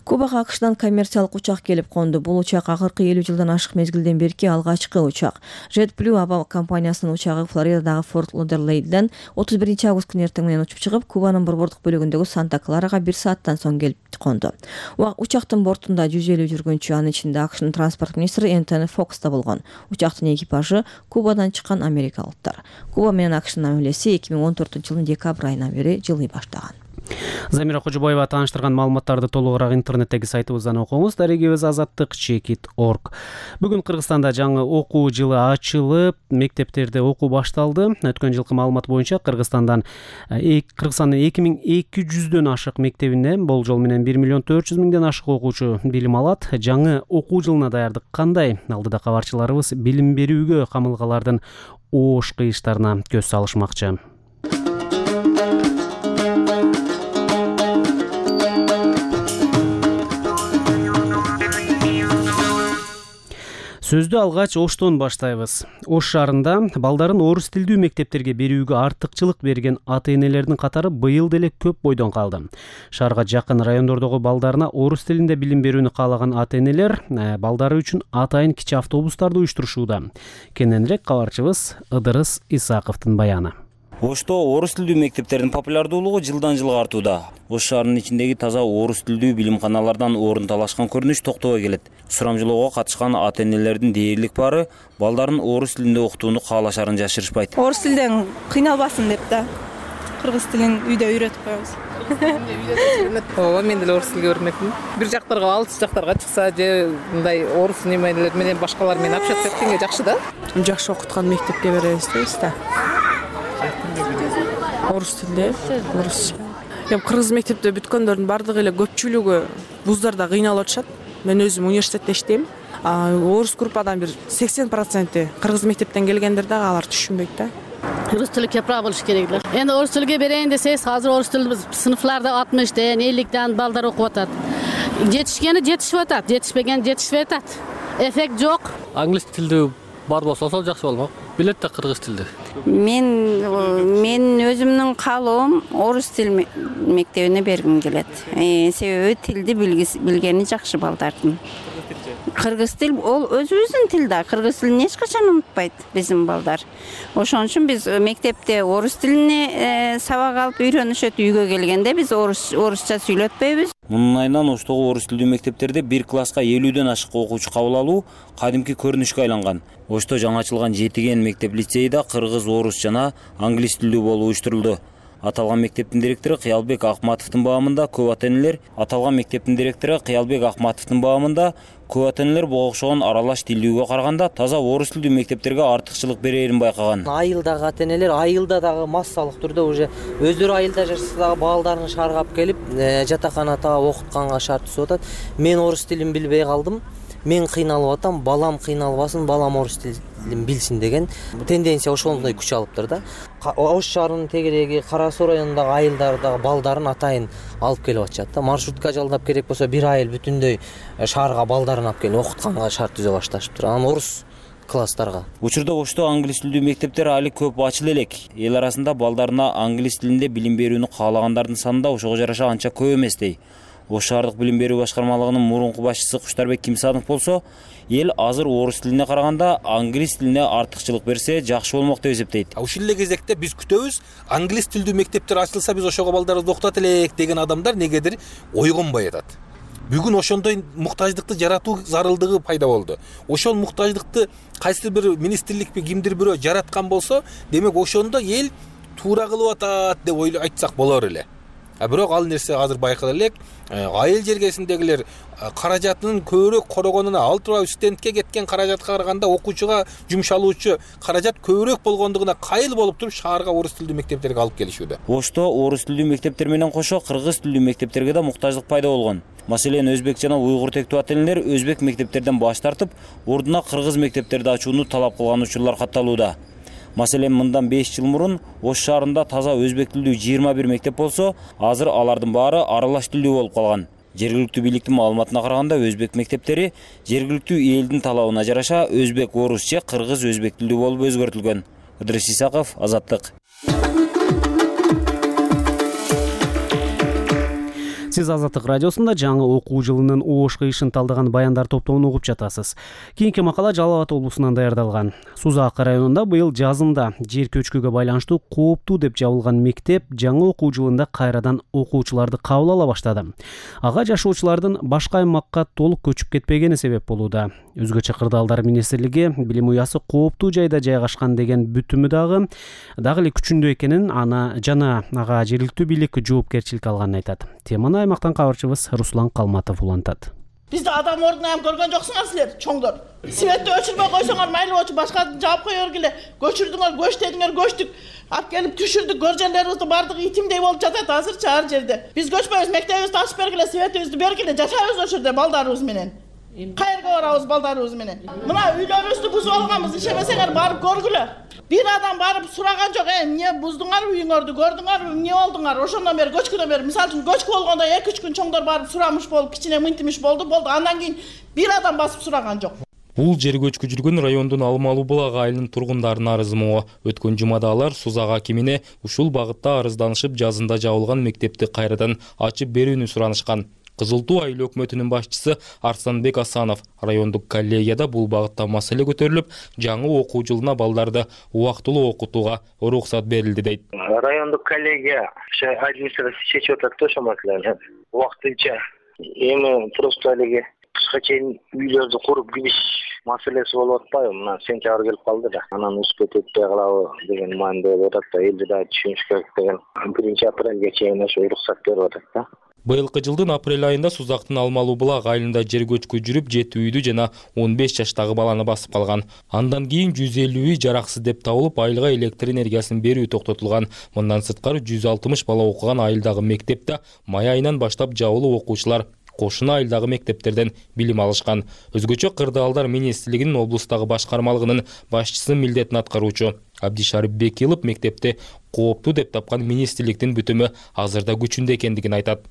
[SPEAKER 4] Кубага АКШдан коммерциялык учак келип конду. Бул учак акыркы элүү жылдан ашык мезгилден берки алгачкы учак. JetBlue аба компаниясынын учагы Флоридадагы Форт Лодерлейден отуз биринчи август күнү эртең менен учуп чыгып, Кубанын борбордук бөлүгүндөгү Санта-Кларага бир сааттан соң келип конду. Учактын бортунда жүз элүү жүргүнчү, анын ичинде АКШнын транспорт министри Энтони Фокс да болгон. Учактын экипажы Кубадан чыккан америкалыктар. Куба менен АКШнын мамилеси эки миң он төртүнчү жылдын декабрь айынан бери жылый баштаган.
[SPEAKER 1] Замира Кожобаева тааныштырган маалыматтарды толугураак интернеттеги сайтыбыздан окуңуз. Дарегибиз азаттык чекит точка орг. Бүгүн Кыргызстанда жаңы окуу жылы ачылып, мектептерде окуу башталды. Өткөн жылкы маалымат боюнча Кыргызстандан Кыргызстандын эки миң эки жүздөн ашык мектебинде болжол менен бир миллион төрт жүз миңден ашык окуучу билим алат. Жаңы окуу жылына даярдык кандай? Алдыда кабарчыларыбыз билим берүүгө камылгалардын оош кыйыштарына көз салышмакчы. Сөздү алгач Оштон баштайбыз. Ош шаарында балдарын орус тилдүү мектептерге берүүгө артыкчылык берген ата-энелердин катары быйыл деле көп бойдон калды. Шаарга жакын райондордогу балдарына орус тилинде билим берүүнү каалаган ата-энелер балдары үчүн атайын кичи автобустарды уюштурушууда. Кененирээк кабарчыбыз Ыдырыс Исаковдун баяны.
[SPEAKER 7] Ошто орус тилдүү мектептердин популярдуулугу жылдан жылга артууда. Ош шаарынын ичиндеги таза орус тилдүү билимканалардан орун талашкан көрүнүш токтобой келет. Сурамжылоого катышкан ата-энелердин дээрлик баары балдарын орус тилинде окутууну каалашарын жашырышпайт.
[SPEAKER 8] Орус тилден кыйналбасын деп да кыргыз тилин үйдө үйрөтүп коебуз.
[SPEAKER 9] Ооба, мен деле орус тилге үйрөнөмүн. Бир жактарга, алыс жактарга чыкса же мындай орус немелер менен башкалар менен общаться эткенге жакшы да.
[SPEAKER 24] Жакшы окуткан мектепке беребиз дейбиз да. Орус тилде, орусча. Эми кыргыз мектепте бүткөндөрдүн бардыгы эле көпчүлүгү вуздарда кыйналып атышат. Мен өзүм университетте иштейм. Орус группадан бир сексен проценти кыргыз мектептен келгендер дагы алар түшүнбөйт да.
[SPEAKER 22] Орус тили кепра болуш керек эле. Эми орус тилге берейин десеңиз, азыр орус тилди сыныфларда алтымыштан, элliктен балдар окуп атат. Жетишкени жетишип атат, жетишпеген жетишпей атат. Эффект жок.
[SPEAKER 25] Англис тилдүү бар болсо ошол жакшы болмок. Билет да кыргыз тилди.
[SPEAKER 26] Мен мен өзүмдүн каалоом орус тил мектебине бергим келет. Себеби тилди билгени жакшы балдардын. Кыргыз тил ол өзүбүздүн тил да. Кыргыз тилин эч качан унутпайт биздин балдар. Ошон үчүн биз мектепте орус тилине сабак алып үйрөнүшөт, үйгө келгенде биз орус орусча сүйлөтпөйбүз.
[SPEAKER 7] Мунун айынан Оштогу орус тилдүү мектептерде бир класска элүүдөн ашык окуучу кабыл алуу кадимки көрүнүшкө айланган. Ошто жаңы ачылган жетиген мектеп лицейде кыргыз, орус жана англис тилдүү болуп уюштурулду. Аталган мектептин директору Кыялбек Акматовдун баамында көп ата-энелер аталган мектептин директору Кыялбек Акматовдун баамында көп ата-энелер буга окшогон аралаш тилдүүгө караганда таза орус тилдүү мектептерге артыкчылык берерин байкаган.
[SPEAKER 27] Айылдагы ата-энелер айылда дагы массалык түрдө уже өздөрү айылда жашаса дагы балдарын шаарга алып келип жатаканада окутканга шарт түзүп атат. Мен орус тилин билбей калдым. Мен кыйналып атам, балам кыйналбасын, балам орус тилин билсин деген тенденция ошондой күч алыптыр да. Ош шаарынын тегереги Кара Суу районундагы айылдардагы балдарын атайын алып келип атышат да. Маршрутка жалдап керек болсо бир айыл бүтүндөй шаарга балдарын алып келип окутканга шарт түзө башташыптыр. Анан орус класстарга.
[SPEAKER 7] Учурда Ошто англис тилдүү мектептер али көп ачыла элек. Эл арасында балдарына англис тилинде билим берүүнү каалагандардын саны да ошого жараша анча көп эмес дей. Ош шаардык билим берүү башкармалыгынын мурунку башчысы Куштарбек Кимсанов болсо, эл азыр орус тилине караганда англис тилине артыкчылык берсе жакшы болмок деп эсептейт.
[SPEAKER 28] Ушул эле кезекте биз күтөбүз, англис тилдүү мектептер ачылса биз ошого балдарыбызды окутат элек деген адамдар негедир ойгонбой атат. Бүгүн ошондой муктаждыкты жаратуу зарылдыгы пайда болду. Ошол муктаждыкты кайсы бир министрликпи кимдир бирөө жараткан болсо, демек ошондо эл туура кылып атат деп ойлоп айтсак болор эле. А бирок ал нерсе азыр байкала элек, айыл жергесиндегилер каражатынын көбүрөөк корогонуна, ал турбай студентке кеткен каражатка караганда окуучуга жумшалуучу каражат көбүрөөк болгондугуна кайыл болуп туруп шаарга орус тилдүү мектептерге алып келишүүдө.
[SPEAKER 7] Ошто орус тилдүү мектептер менен кошо кыргыз тилдүү мектептерге да муктаждык пайда болгон. Маселен, өзбек жана уйгур тектүү ата-энелер өзбек мектептерден баш тартып, ордуна кыргыз мектептерди ачууну талап кылган учурлар катталууда. Маселен, мындан беш жыл мурун Ош шаарында таза өзбек тилдүү жыйырма бир мектеп болсо, азыр алардын баары аралаш тилдүү болуп калган. Жергиликтүү бийликтин маалыматына караганда, өзбек мектептери жергиликтүү элдин талабына жараша өзбек, орус же кыргыз өзбек тилдүү болуп өзгөртүлгөн. Ыдырыс Исаков, Азаттык.
[SPEAKER 1] Сиз Азаттык радиосунда жаңы окуу жылынын оош кыйышын талдаган баяндар топтомун угуп жатасыз. Кийинки макала Жалал Абад облусунан даярдалган. Сузак районунда быйыл жазында жер көчкүгө байланыштуу кооптуу деп жабылган мектеп жаңы окуу жылында кайрадан окуучуларды кабыл ала баштады. Ага жашоочулардын башка аймакка толук көчүп кетпегени себеп болууда. Өзгөчө Кырдаалдар министрлиги билим уясы кооптуу жайда жайгашкан деген бүтүмү дагы дагы эле күчүндө экенин, ана жана ага жергиликтүү бийлик жоопкерчилик алганын айтат. Теманы аймактан кабарчыбыз Руслан Калматов улантат.
[SPEAKER 2] Бизди адам ордуна ham көргөн жоксуңар силер, чоңдор. Светти өчүрбөй койсоңор майлы болчу, башка жаап кое бергиле. Көчүрдүңөр, көчтөдүңөр, көчтүк. Алып келип түшүрдүк, көржөндөрүбүздүн бардыгы итимдей болуп жатат азырчы ар жерде. Биз көчпөйбүз, мектебибизди ачып бергиле, светибизди бергиле, жашайбыз ошол жерде балдарыбыз менен. Кайерге барабыз балдарыбыз менен? Мына үйлөрүбүздү бузуп алганбыз, ишемесеңер барып көргүлө. Бир адам барып сураган жок, э, эмне буздуңарбы үйүңөрдү, көрдүңөрбү, эмне болдуңар? Ошондон бери көчкүдөн бери, мисалы үчүн көчкү болгондо эки үч күн чоңдор барып сурамыш болуп, кичине мынтимиш болду, болду. Андан кийин бир адам басып сураган жок.
[SPEAKER 3] Бул жер көчкү жүргөн райондун Алмалуу булак айылынын тургундарынын арызы могу. Өткөн жумада алар Сузак акимине ушул багытта арызданышып, жазында жабылган мектепти кайрадан ачып берүүнү суранышкан. Кызыл Туу айыл өкмөтүнүн башчысы Арсанбек Асанов райондук коллегияда бул багытта маселе көтөрүлүп, жаңы окуу жылына балдарды убактылуу окутууга уруксат берилди дейт.
[SPEAKER 10] Райондук коллегия администрация чечип атат да ошол маселени. Убактынча эми просто эле кышка чейин үйлөрдү куруп кириш маселеси болуп атпайбы? Мына сентябрь келип калды да. Анан успеть этпей калабы деген маанидө болуп атат да. Элди да түшүнүш керек деген биринчи апрелге чейин ошо уруксат берип атат да.
[SPEAKER 3] Быйылкы жылдын апрель айында Сузактын Алмалуу булак айылында жер көчкү жүрүп, жети үйдү жана он беш жаштагы баланы басып калган. Андан кийин жүз элүү үй жараксыз деп табылып, айылга электр энергиясын берүү токтотулган. Мындан сырткары жүз алтымыш бала окуган айылдагы мектепте май айынан баштап жабылып окуучулар кошуна айылдагы мектептерден билим алышкан. Өзгөчө Кырдаалдар министрлигинин облустагы башкармалыгынын башчысынын милдетин аткаруучу Абдишарип Бекилов мектепти кооптуу деп тапкан министрликтин бүтүмү азырда күчүндө экендигин айтат.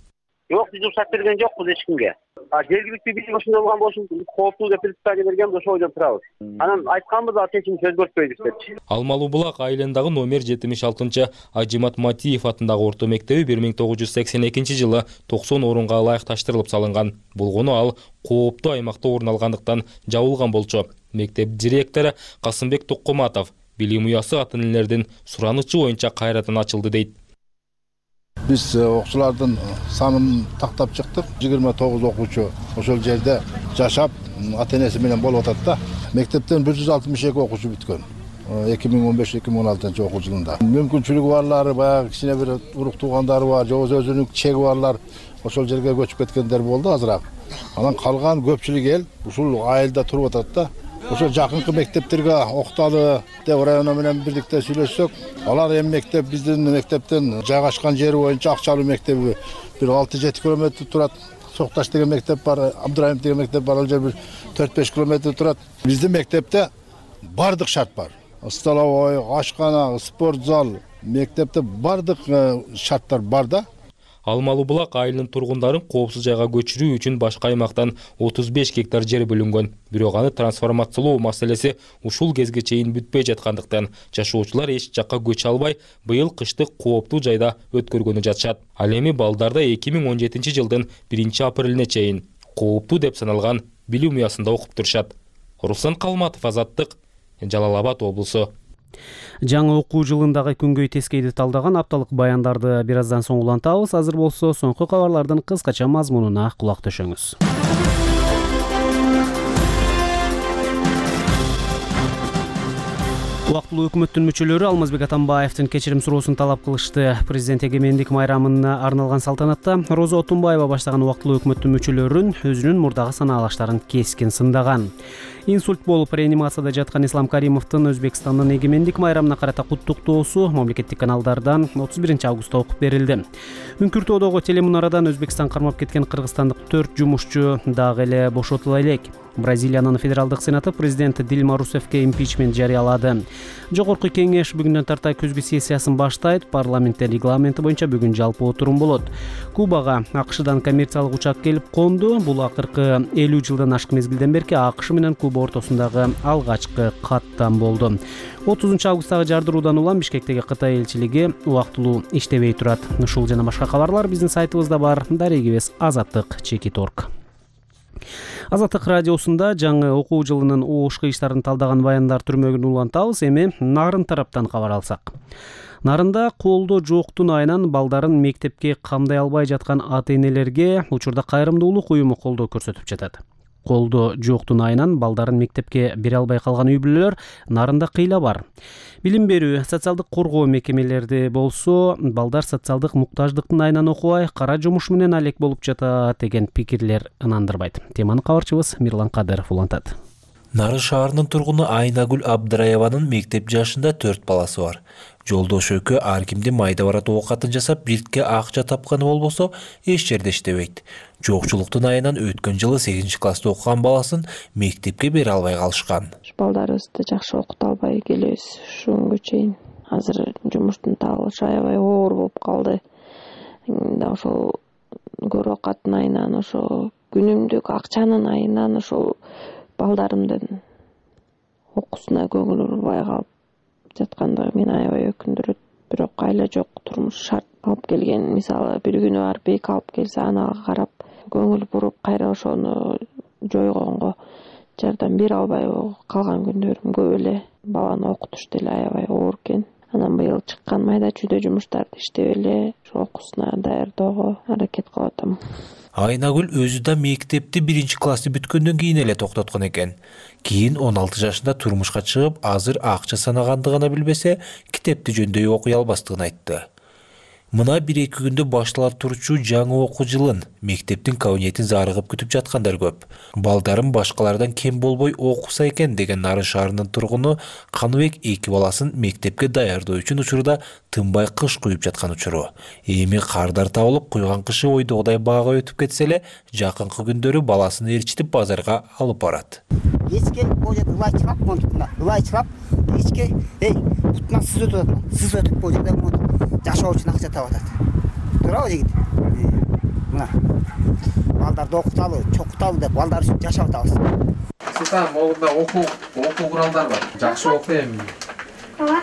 [SPEAKER 10] Жок, биз уруксат берген жокпуз эч кимге. А жергиликтүү бийлик ошондой болгон болсун, кооптуу деп предписание берген, ошо ойдон турабыз. Анан айтканбыз, а чечимди өзгөртпөйбүз депчи.
[SPEAKER 3] Алмалуу булак айылындагы номер жетимиш алтынчы Ажимат Матиев атындагы орто мектеби бир миң тогуз жүз сексен экинчи жылы токсон орунга ылайыкташтырылып салынган. Болгону ал кооптуу аймакта орун алгандыктан жабылган болчу. Мектеп директору Касымбек Токкоматов билим уясы ата-энелердин суранычы боюнча кайрадан ачылды дейт.
[SPEAKER 11] Биз окуучулардын санын тактап чыктык. жыйырма тогуз окуучу ошол жерде жашап, ата-энеси менен болуп атат да. Мектептен бир жүз алтымыш эки окуучу бүткөн. эки миң он беш эки миң он алтынчы окуу жылында. Мүмкүнчүлүгү барлары, баягы кичине бир урук туугандары бар, же болбосо өзүнүн чеги барлар ошол жерге көчүп кеткендер болду азыраак. Анан калган көпчүлүк эл ушул айылда туруп атат да. Ошо жакынкы мектептерге окталы деп районо менен бирдикте сүйлөшсөк, алар эми мектеп биздин мектептен жайгашкан жери боюнча Акчалуу мектеби бир алты жети километр турат. Сокташ деген мектеп бар, Абдырайым деген мектеп бар, ал жер бир төрт беш километр турат. Биздин мектепте бардык шарт бар. Столовой, ашкана, спорт зал, мектепте бардык шарттар бар да.
[SPEAKER 3] Алмалуу булак айылынын тургундарын коопсуз жайга көчүрүү үчүн башка аймактан отуз беш гектар жер бөлүнгөн. Бирок аны трансформациялоо маселеси ушул кезге чейин бүтпөй жаткандыктан жашоочулар эч жакка көчө албай, быйыл кышты кооптуу жайда өткөргөнү жатышат. Ал эми балдарда эки миң он жетинчи жылдын биринчи апрелине чейин кооптуу деп саналган билим уясында окуп турушат. Руслан Калматов, Азаттык, Жалал Абад облусу.
[SPEAKER 1] Жаңы окуу жылындагы күнгөй тескейди талдаган апталык баяндарды бир аздан соң улантабыз. Азыр болсо соңку кабарлардын кыскача мазмунуна кулак төшөңүз. Убактылуу өкмөттүн мүчөлөрү Алмазбек Атамбаевдин кечирим суроосун талап кылышты. Президент эгемендик майрамына арналган салтанатта Роза Отунбаева баштаган убактылуу өкмөттүн мүчөлөрүн өзүнүн мурдагы санаалаштарын кескин сындаган. Инсульт болуп реанимацияда жаткан Ислам Каримовдун Өзбекстандын эгемендик майрамына карата куттуктоосу мамлекеттик каналдардан отуз биринчи августта окуп берилди. Үңкүртөөдөгү телемунарадан Өзбекстан кармап кеткен кыргызстандык төрт жумушчу дагы эле бошотула элек. Бразилиянын федералдык сенаты президент Дилма Русефке импичмент жарыялады. Жогорку кеңеш бүгүндөн тарта күзгү сессиясын баштайт. Парламентте регламенти боюнча бүгүн жалпы отурум болот. Кубага АКШдан коммерциялык учак келип конду. Бул акыркы элүү жылдан ашык мезгилден берки АКШ менен Куба ортосундагы алгачкы каттам болду. отузунчу августтагы жардыруудан улам Бишкектеги Кытай элчилиги убактылуу иштебей турат. Ушул жана башка кабарлар биздин сайтыбызда бар. Дарегибиз азаттык чекит точка орг. Азаттык радиосунда жаңы окуу жылынын оош кыйыштарын талдаган баяндар түрмөгүн улантабыз. Эми Нарын тараптан кабар алсак. Нарында колдо жоктун айынан балдарын мектепке камдай албай жаткан ата-энелерге учурда кайрымдуулук уюму колдоо көрсөтүп жатат. Колдо жоктун айынан балдарын мектепке бере албай калган үй бүлөлөр Нарында кыйла бар. Билим берүү, социалдык коргоо мекемелерди болсо, балдар социалдык муктаждыктын айынан окубай, кара жумуш менен алек болуп жатат деген пикирлер ынандырбайт. Теманы кабарчыбыз Мирлан Кадыров улантат.
[SPEAKER 12] Нарын шаарынын тургуну Айнагүл Абдыраеванын мектеп жашында төрт баласы бар. Жолдош экөө ар кимди майда барат оокатын жасап, биртке акча тапканы болбосо, эч жерде иштебейт. Жокчулуктун айынан өткөн жылы сегизинчи класста окуган баласын мектепке бере албай калышкан.
[SPEAKER 13] Балдарыбызды жакшы окута албай келебиз ушунгө чейин. Азыр жумуштун табылышы аябай оор болуп калды. Да ошол көрө окаттын айынан, ошо күнүмдүк акчанын айынан ошол балдарымдын окуусуна көңүл бурбай калып жаткандыгы мени аябай өкүндүрөт. Бирок айла жок, турмуш шарт алып келген. Мисалы бир күнү барып бейк алып келсе, анага карап көңүл буруп кайра ошону жойгонго жардам бере албай калган күндөрүм көп эле. Баланы окутуш деле аябай оор экен. Анан быйыл чыккан майда чүйдө жумуштарды иштеп эле ошо окуусуна даярдоого аракет кылып атам.
[SPEAKER 12] Айнагүл өзү да мектепти биринчи классты бүткөндөн кийин эле токтоткон экен. Кийин он алты жашында турмушка чыгып, азыр акча санагандыгына билбесе, китепти жөндөй окуй албастыгын айтты. Мына бир-эки күндө башталар турчу жаңы окуу жылын мектептин кабинетин зарыгып күтүп жаткандар көп. Балдарым башкалардан кем болбой окуса экен деген Нарын шаарынын тургуну Каныбек эки баласын мектепке даярдоо үчүн учурда тынбай кыш куюп жаткан учуру. Эми кардар табылып, куйган кышы ойдогудай баага өтүп кетсе эле, жакынкы күндөрү баласын ээрчитип базарга алып барат.
[SPEAKER 14] Эчке бул жерде ылай чыгап, монтуна ылай чыгап, эчке, эй, бутуна сыз өтүп атат. Сыз өтүп бул жерде жашоо үчүн акча таап атат. Туурабы жигит? Мына. Балдарды окуталы, чокуталы деп балдар үчүн жашап атабыз.
[SPEAKER 15] Султан, могунда окуу, окуу куралдар бар. Жакшы окуй эми. Ооба.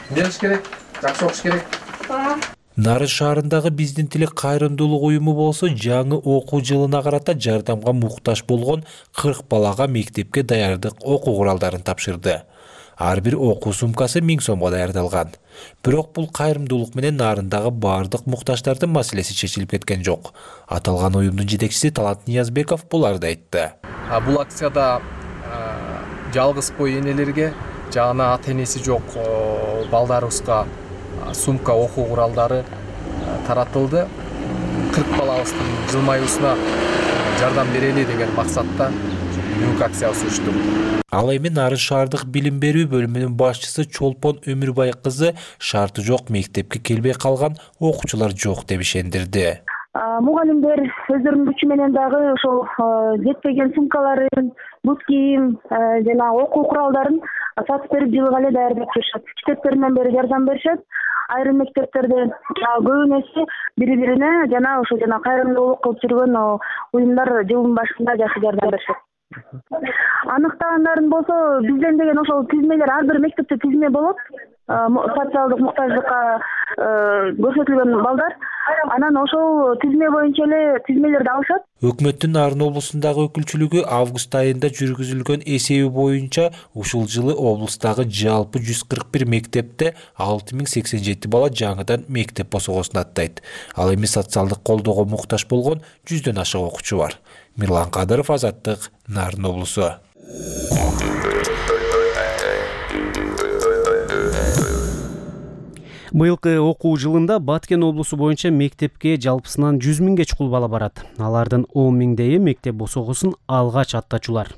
[SPEAKER 15] Эмне керек? Жакшы окуш керек. Ооба.
[SPEAKER 12] Нарын шаарындагы биздин тилек кайрымдуулук уюму болсо, жаңы окуу жылына карата жардамга муктаж болгон кырк балага мектепке даярдык окуу куралдарын тапшырды. Ар бир окуу сумкасы миң сомго даярдалган. Бирок бул кайрымдуулук менен Нарындагы бардык муктаждардын маселеси чечилип кеткен жок. Аталган уюмдун жетекчиси Талант Ниязбеков буларды айтты.
[SPEAKER 15] А бул акцияда жалгыз бой энелерге жана ата-энеси жок балдарыбызга сумка окуу куралдары таратылды. кырк балабыздын жылмаюусуна жардам берели деген максатта бүгүнкү акциябыз өчтү.
[SPEAKER 12] Ал эми Нарын шаардык билим берүү бөлүмүнүн башчысы Чолпон Өмүрбай кызы шарты жок мектепке келбей калган окуучулар жок деп ишендирди.
[SPEAKER 17] Мугалимдер өздөрүнүн күчү менен дагы ошол жетпеген сумкаларын, бут кийим жана окуу куралдарын сатып берип жылга эле даярдап беришет. Китептеринен бери жардам беришет. Айрым мектептерде көбүнесе бири-бирине жана ошо жана кайрымдуулук кылып жүргөн уюмдар жылдын башында жакшы жардам беришет. Аныктагандарың болсо, бизден деген ошол тизмелер, ар бир мектепте тизме болот. Социалдык муктаждыкка көрсөтүлгөн балдар, анан ошол тизме боюнча эле тизмелерди алышат.
[SPEAKER 12] Өкмөттүн Нарын облусундагы өкүлчүлүгү август айында жүргүзүлгөн эсеби боюнча ушул жылы облустагы жалпы жүз кырк бир мектепте алты миң сексен жети бала жаңыдан мектеп босогосун аттайт. Ал эми социалдык колдоого муктаж болгон жүздөн ашык окуучу бар. Мирлан Кадыров, Азаттык, Нарын облусу.
[SPEAKER 1] Быйылкы окуу жылында Баткен облусу боюнча мектепке жалпысынан жүз миңге чукул бала барат. Алардын он миңдейи мектеп босогусун алгач аттачулар.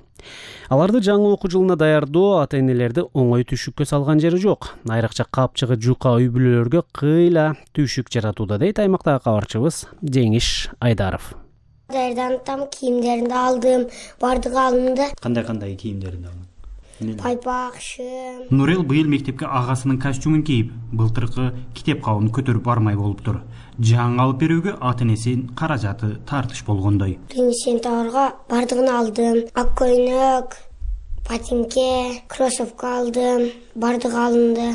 [SPEAKER 1] Аларды жаңы окуу жылына даярдоо ата-энелерди оңой түшүккө салган жери жок. Айрыкча капчыгы жука үй бүлөлөргө кыйла түшүк жаратууда, дейт аймактагы кабарчыбыз Жеңиш Айдаров.
[SPEAKER 5] Даярданып, кийимдеримди алдым, бардыгы алынды.
[SPEAKER 1] Кандай-кандай кийимдерди алдың?
[SPEAKER 5] Пайпак, шым.
[SPEAKER 1] Нурел быйыл мектепке агасынын костюмун кийип, былтыркы китеп кабын көтөрүп бармай болуптур. Жаңы алып берүүгө ата-энесинин каражаты тартыш болгондой.
[SPEAKER 5] Биринчи сентябрга бардыгын алдым. Ак көйнөк, ботинке, кроссовка алдым, бардыгы алынды.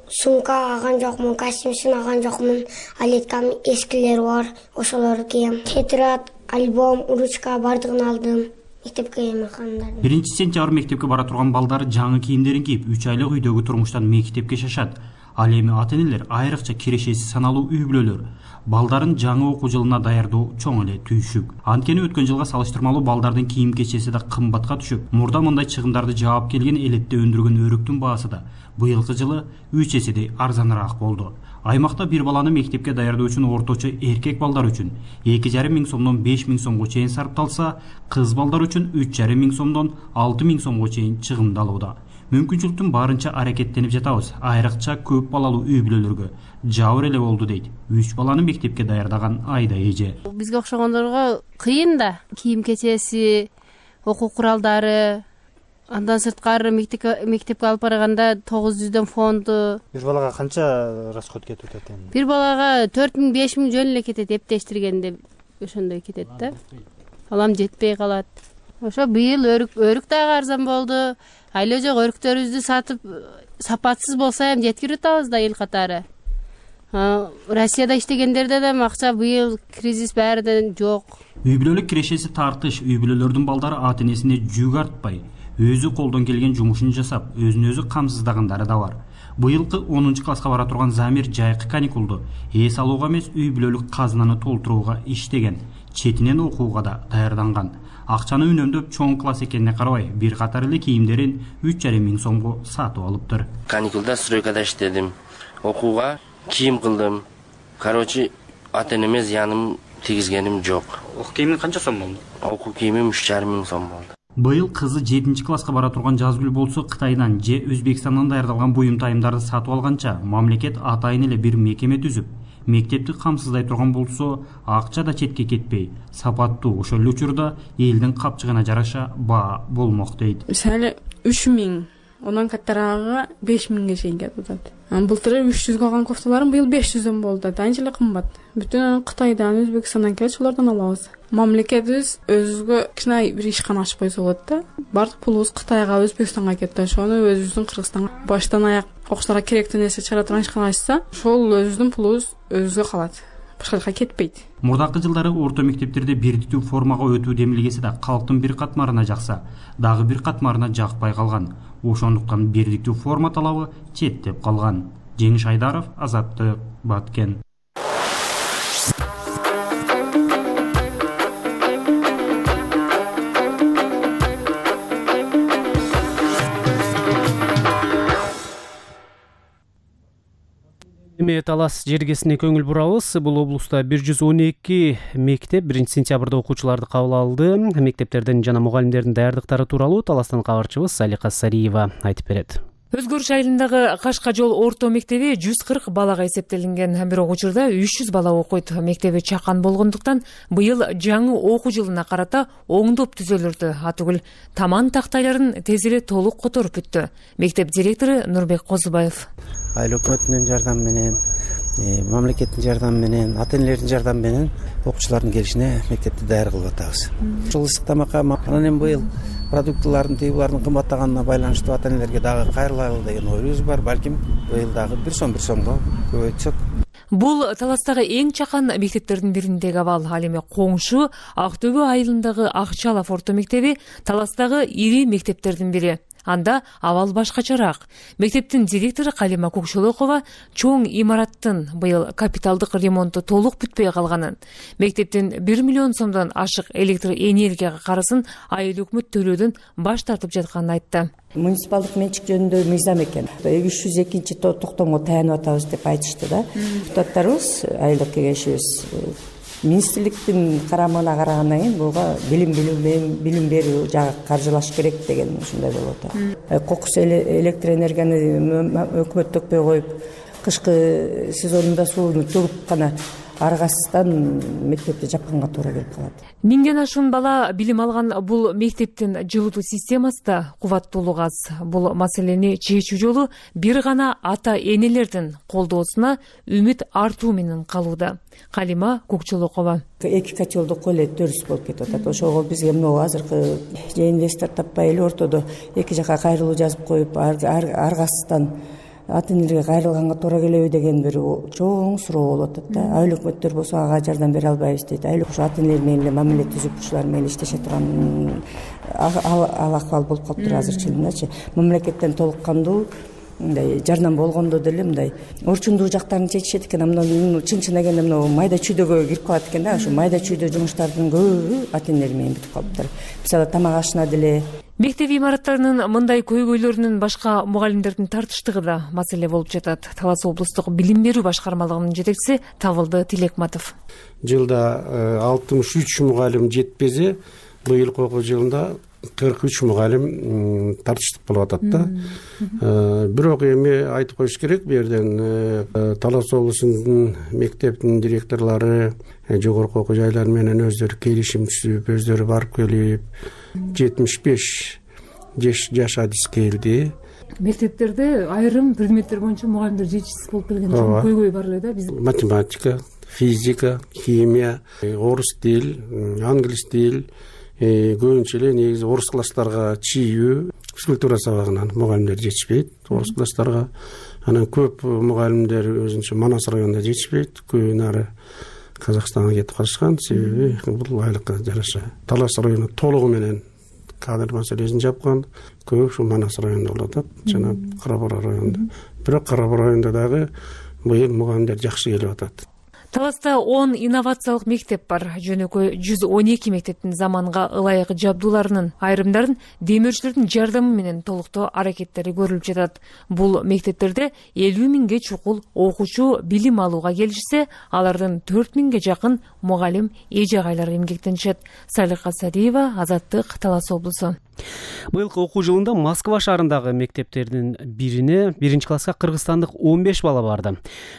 [SPEAKER 5] Сумка аган жокмун, костюм аган жокмун. Алеткам эскилери бар, ошолорду кийем. Тетрадь, альбом, ручка бардыгын алдым.
[SPEAKER 1] Биринчи сентябрь мектепке бара турган балдар жаңы кийимдерин кийип, үч айлык үйдөгү турмуштан мектепке шашат. Ал эми ата-энелер, айрыкча кирешеси саналуу үй бүлөлөр балдарын жаңы окуу жылына даярдоо чоң эле түйшүк. Анткени өткөн жылга салыштырмалуу балдардын кийим кечеси да кымбатка түшүп, мурда мындай чыгымдарды жаап келген элетте өндүргөн өрүктүн баасы да быйылкы жылы үч эседей арзаныраак болду. Аймакта бир баланы мектепке даярдоо үчүн орточо эркек балдар үчүн эки жарым миң сомдон беш миң сомго чейин сарпталса, кыз балдар үчүн үч жарым миң сомдон алты миң сомго чейин чыгымдалууда. Мүмкүнчүлүктүн барынча аракеттенип жатабыз. Айрыкча көп балалуу үй бүлөлөргө жабыр эле болду, дейт үч баланы мектепке даярдаган Айда эже.
[SPEAKER 22] Бизге окшогондорго кыйын да. Кийим кечеси, окуу куралдары, андан сырткары мектепке алып барганда тогуз жүздөн фонду.
[SPEAKER 1] Бир балага канча расход кетип атат эми?
[SPEAKER 22] Бир балага төрт миң беш миң жөн эле кетет, эптештиргенде ошондой кетет да. Алам жетпей калат. Ошо быйыл өрүк өрүк дагы арзан болду. Айла жок өрүктөрүбүздү сатып сапатсыз болсо эми жеткирип атабыз да эл катары. Россияда иштегендерде да акча быйыл кризис баарыдан жок.
[SPEAKER 1] Үй бүлөлүк кирешеси тартыш, үй бүлөлөрдүн балдары ата-энесине жүк артпай, өзү колдон келген жумушун жасап, өзүн өзү камсыздагандары да бар. Быйылкы онунчу класска бара турган Замир жайкы каникулду эс алууга эмес, үй бүлөлүк казынаны толтурууга иштеген, четинен окууга да даярданган. Акчаны үнөмдөп чоң класс экенине карабай, бир катар эле кийимдерин үч жарым миң сомго сатып алыптыр.
[SPEAKER 6] Каникулда стройкада иштедим, окууга кийим кылдым. Короче, ата-энеме зыяным тийгизгеним жок.
[SPEAKER 1] Окуу кийимин канча сом болду?
[SPEAKER 6] Окуу кийимим үч жарым миң сом болду.
[SPEAKER 1] Быйыл кызы жетинчи класска бара турган Жазгүл болсо, Кытайдан же Өзбекстандан даярдалган буюм тайымдарды сатып алганча, мамлекет атайын эле бир мекеме түзүп, мектепти камсыздай турган болсо, акча да четке кетпей, сапаттуу, ошол эле учурда элдин капчыгына жараша баа болмок, дейт.
[SPEAKER 16] Мисалы үч миң, онан каттарагы беш миңге чейин кетип атат. Былтыр үч жүзгө алган кофталарым быйыл беш жүздөн болду. Анча эле кымбат. Бүтүн Кытайдан, Өзбекстандан келип, ошолордон алабыз. Мамлекетибиз өзүгө кичине бир ишкана ачып койсо болот да. Бардык пулубуз Кытайга, Өзбекстанга кетти. Ошону өзүбүздүн Кыргызстанга баштан аяк окуучуларга керектүү нерсе чыгара турган ишкана ачса, ошол өзүбүздүн пулубуз өзүгө калат. Башка жака кетпейт.
[SPEAKER 1] Мурдакы жылдары орто мектептерде бирдиктүү формага өтүү демилгеси да калктын бир катмарына жакса, дагы бир катмарына жакпай калган. Ошондуктан бирдиктүү форма талабы четтеп калган. Жеңиш Айдаров, Азаттык, Баткен. Эми талас жергесине көңүл бурабыз. Бул облуста бир жүз он эки мектеп биринчи сентябрда окуучуларды кабыл алды. Мектептердин жана мугалимдердин даярдыктары тууралуу таластан кабарчыбыз Салика Сариева айтып берет.
[SPEAKER 18] Өзгөрүш айылындагы Кашка жол орто мектеби жүз кырк балага эсептелинген. Бирок учурда үч жүз бала окуйт. Мектеби чакан болгондуктан быйыл жаңы окуу жылына карата оңдоп түзөлүрдү. Атүгүл таман тактайларын тез эле толук которуп бүттү. Мектеп директору Нурбек Козубаев.
[SPEAKER 19] Айыл өкмөтүнүн жардамы менен, мамлекеттин жардамы менен, ата-энелердин жардамы менен окуучулардын келишине мектепти даяр кылып атабыз. Ушул ысык тамакка анан эми быйыл продуктлардын тыйбулардын кымбаттаганына байланыштуу ата-энелерге дагы кайрылайлы деген оюбуз бар. Балким быйыл дагы бир сом бир сомго көбөйтсөк.
[SPEAKER 18] Бул таластагы эң чакан мектептердин бириндеги абал. Ал эми коңшу Актөбө айылындагы Акчалов орто мектеби таластагы ири мектептердин бири. Анда абал башкачараак. Мектептин директору Калима Көкшөлөкова чоң имараттын быйыл капиталдык ремонту толук бүтпөй калганын, мектептин бир миллион сомдон ашык электр энергияга карызын айыл өкмөт төлөөдөн баш тартып жатканын айтты.
[SPEAKER 4] Муниципалдык менчик жөнүндө мыйзам экен. үч жүз экинчи токтомго таянып атабыз деп айтышты да. Депутаттарыбыз, айылдык кеңешибиз министрликтин карамагына карагандан кийин буга билим билим берүү жагы каржылаш керек деген ушундай болуп атат. Кокус электр энергияны өкмөт төкпөй коюп, кышкы сезонунда сууну төгүп гана аргасыздан мектепти жапканга туура келип калат.
[SPEAKER 18] Миңден ашуун бала билим алган бул мектептин жылытуу системасы да кубаттуулугу аз. Бул маселени чечүү жолу бир гана ата энелердин колдоосуна үмүт артуу менен калууда. Калима Көкчөлөкова.
[SPEAKER 4] Эки котелдук эле дөрүс болуп кетип атат. Ошого бизге мына азыркы же инвестор таппай эле ортодо эки жака кайрылуу жазып коюп, аргасыздан ата энелерге кайрылганга туура келеби деген бир чоң суроо болуп атат да. Айыл өкмөттөр болсо ага жардам бере албайбыз дейт. Айыл ушу ата энелер менен эле мамиле түзүп ушулар менен иштеше турган ал акыбал болуп калыптыр азырчылыгындачы. Мамлекеттен толук кандуу мындай жардам болгондо деле мындай орчундуу жактарын чечишет экен. Мына чын чын дегенде мына майда чүйдөгө кирип калат экен да. Ушу майда чүйдө жумуштардын көбү ата энелер менен бүтүп калыптыр. Мисалы тамак ашына деле.
[SPEAKER 18] Мектеп имараттарынын мындай көйгөйлөрүнүн башка мугалимдердин тартыштыгы да маселе болуп жатат. Талас облустук билим берүү башкармалыгынын жетекчиси Табылды Тилекматов.
[SPEAKER 8] Жылда алтымыш үч мугалим жетпесе, быйылкы окуу жылында кырк үч мугалим тартыштык болуп атат да. Бирок эми айтып коюш керек, бу жерден Талас облусунун мектептин директорлору жогорку окуу жайлар менен өздөрү келишим түзүп, өздөрү барып келип, жетимиш беш жаш адис келди.
[SPEAKER 18] Мектептерде айрым предметтер боюнча мугалимдер жетишсиз болуп келген көйгөй бар эле да. Биз
[SPEAKER 8] математика, физика, химия, орус тил, англис тил, көбүнчө эле негизи орус класстарга чийүү, физкультура сабагынан мугалимдер жетишпейт орус класстарга. Анан көп мугалимдер өзүнчө Манас районунда жетишпейт, көбү нары Казакстанга кетип калышкан. Себеби бул айлыкка жараша. Талас району толугу менен кадр маселесин жапкан. Көп ушу Манас районунда болуп атат, жана Кара-Бура районунда. Бирок Кара-Бура районунда дагы быйыл мугалимдер жакшы келип атат.
[SPEAKER 18] Таласта он инновациялык мектеп бар. Жөнөкөй жүз он эки мектептин заманга ылайык жабдууларынын айрымдарын демөөрчүлөрдүн жардамы менен толуктоо аракеттери көрүлүп жатат. Бул мектептерде элүү миңге чукул окуучу билим алууга келишсе, алардын төрт миңге жакын мугалим эже-агайлар эмгектенишет. Салика Сариева, Азаттык, Талас облусу.
[SPEAKER 1] Быйылкы окуу жылында Москва шаарындагы мектептердин бирине биринчи класска кыргызстандык он беш бала барды.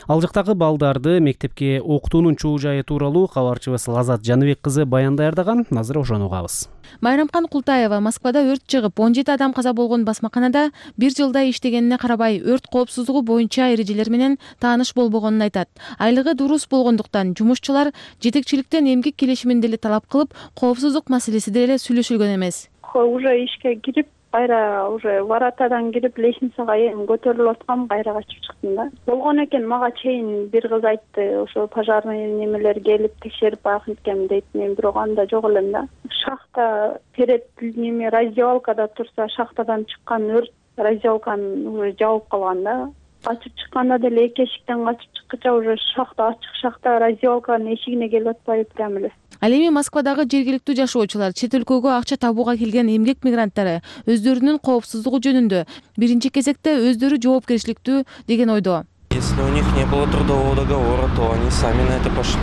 [SPEAKER 1] Ал жактагы балдарды мектепке окутуунун чуу жайы тууралуу кабарчыбыз Лазат Жаныбек кызы баян даярдаган. Азыр ошону угабыз.
[SPEAKER 9] Майрамкан Култаева Москвада өрт чыгып, он жети адам каза болгон басмаканада бир жылда иштегенине карабай, өрт коопсуздугу боюнча эрежелер менен тааныш болбогонун айтат. Айлыгы дурус болгондуктан жумушчулар жетекчиликтен эмгек келишимин деле талап кылып, коопсуздук маселеси деле сүйлөшүлгөн эмес.
[SPEAKER 20] Уже ишке кирип, кайра уже воротадан кирип, лестницага эми көтөрүлүп аткам, кайра качып чыктым да. Болгон экен, мага чейин бир кыз айтты, ошо пожарный немелер келип текшерип байкын дейт. Мен бирок анда жок элем да. Шахта перед неме раздевалкада турса, шахтадан чыккан өрт раздевалканы уже жабып калган да. Качып чыкканда деле эки эшиктен качып чыккыча уже шахта ачык, шахта раздевалканын эшигине келип атпайбы прям эле.
[SPEAKER 9] Ал эми Москвадагы жергиликтүү жашоочулар, чет өлкөгө акча табууга келген эмгек мигранттары өздөрүнүн коопсуздугу жөнүндө биринчи кезекте өздөрү жоопкерчиликтүү деген ойдо.
[SPEAKER 21] Если у них не было трудового договора, то они сами на это пошли.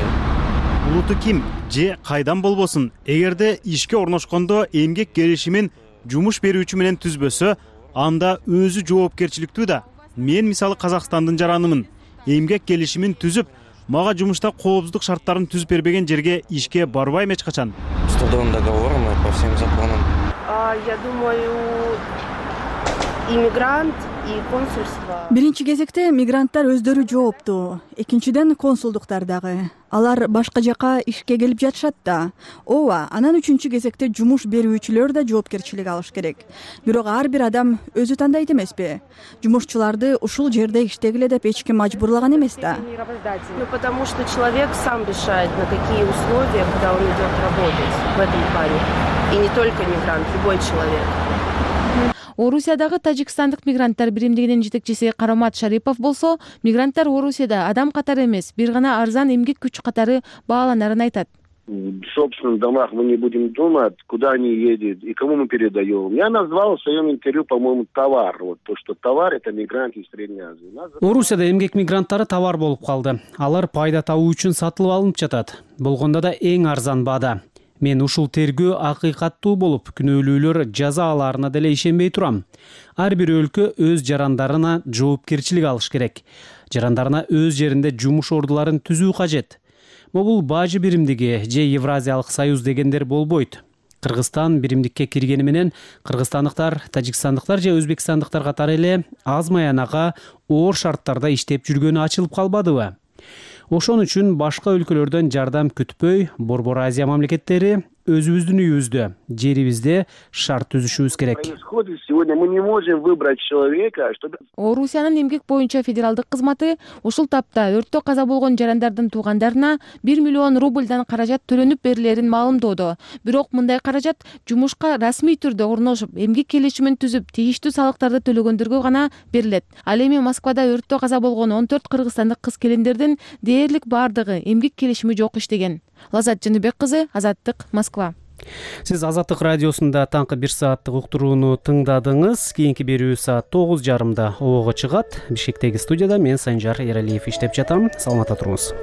[SPEAKER 23] Улуту ким же кайдан болбосун, эгерде ишке орношкондо эмгек келишимин жумуш берүүчү менен түзбөсө, анда өзү жоопкерчиликтүү да. Мен мисалы Казакстандын жаранымын. Эмгек келишимин түзүп, мага жумушта коопсуздук шарттарын түзүп бербеген жерге ишке барбайм эч качан.
[SPEAKER 21] С трудовым договором и по всем законам.
[SPEAKER 24] Я думаю, иммигрант и консульство.
[SPEAKER 25] Биринчи кезекте мигранттар өздөрү жооптуу. Экинчиден консулдуктар дагы. Алар башка жака ишке келип жатышат да. Ооба, анан үчүнчү кезекте жумуш берүүчүлөр да жоопкерчилик алыш керек. Бирок ар бир адам өзү тандайт эмеспи? Жумушчуларды ушул жерде иштегиле деп эч ким мажбурлаган эмес да.
[SPEAKER 24] Ну потому что человек сам решает, на какие условия, когда он идет работать в этом плане. И не только мигрант, любой человек.
[SPEAKER 9] Орусиядагы тажикстандык мигранттар биримдигинин жетекчиси Карамат Шарипов болсо, мигранттар Орусияда адам катары эмес, бир гана арзан эмгек күч катары бааланарын айтат.
[SPEAKER 2] в собственных домах мы не будем думать, куда они едут и кому мы передаем. Я назвал в своем интервью, по-моему, товар. Вот то, что товар — это мигранты из Средней Азии.
[SPEAKER 1] Орусияда эмгек мигранттары товар болуп калды. Алар пайда табуу үчүн сатылып алынып жатат. Болгондо да эң арзан баада. Мен ушул тергөө акыйкаттуу болуп, күнөөлүүлөр жаза алаарына деле ишенбей турам. Ар бир өлкө өз жарандарына жоопкерчилик алыш керек. Жарандарына өз жеринде жумуш ордуларын түзүү кажет. Могул бажы биримдиги же Евразиялык союз дегендер болбойт. Кыргызстан биримдикке киргени менен кыргызстандыктар, тажикстандыктар же өзбекстандыктар катары эле аз маянага оор шарттарда иштеп жүргөнү ачылып калбадыбы? Ошон үчүн башка өлкөлөрдөн жардам күтпөй, Борбор Азия мамлекеттери өзүбүздүн үйүбүздө, жерибизде шарт түзүшүбүз керек.
[SPEAKER 2] Сегодня мы не можем выбрать человека, чтобы...
[SPEAKER 9] Орусиянын эмгек боюнча федералдык кызматы ушул тапта өрттө каза болгон жарандардын туугандарына бир миллион рубльдан каражат төлөнүп берилерин маалымдоодо. Бирок мындай каражат жумушка расмий түрдө орношуп, эмгек келишимин түзүп, тийиштүү салыктарды төлөгөндөргө гана берилет. Ал эми Москвада өрттө каза болгон он төрт кыргызстандык кыз-келиндердин дээрлик бардыгы эмгек келишими жок иштеген. Лазат Жаныбек кызы, Азаттык, Москва.
[SPEAKER 1] Сиз Азаттык радиосунда таңкы бир сааттык уктурууну тыңдадыңыз. Кийинки берүү саат тогуз жарымда обого чыгат. Бишкектеги студияда мен Санжар Эралиев иштеп жатам. Саламатта туруңуз.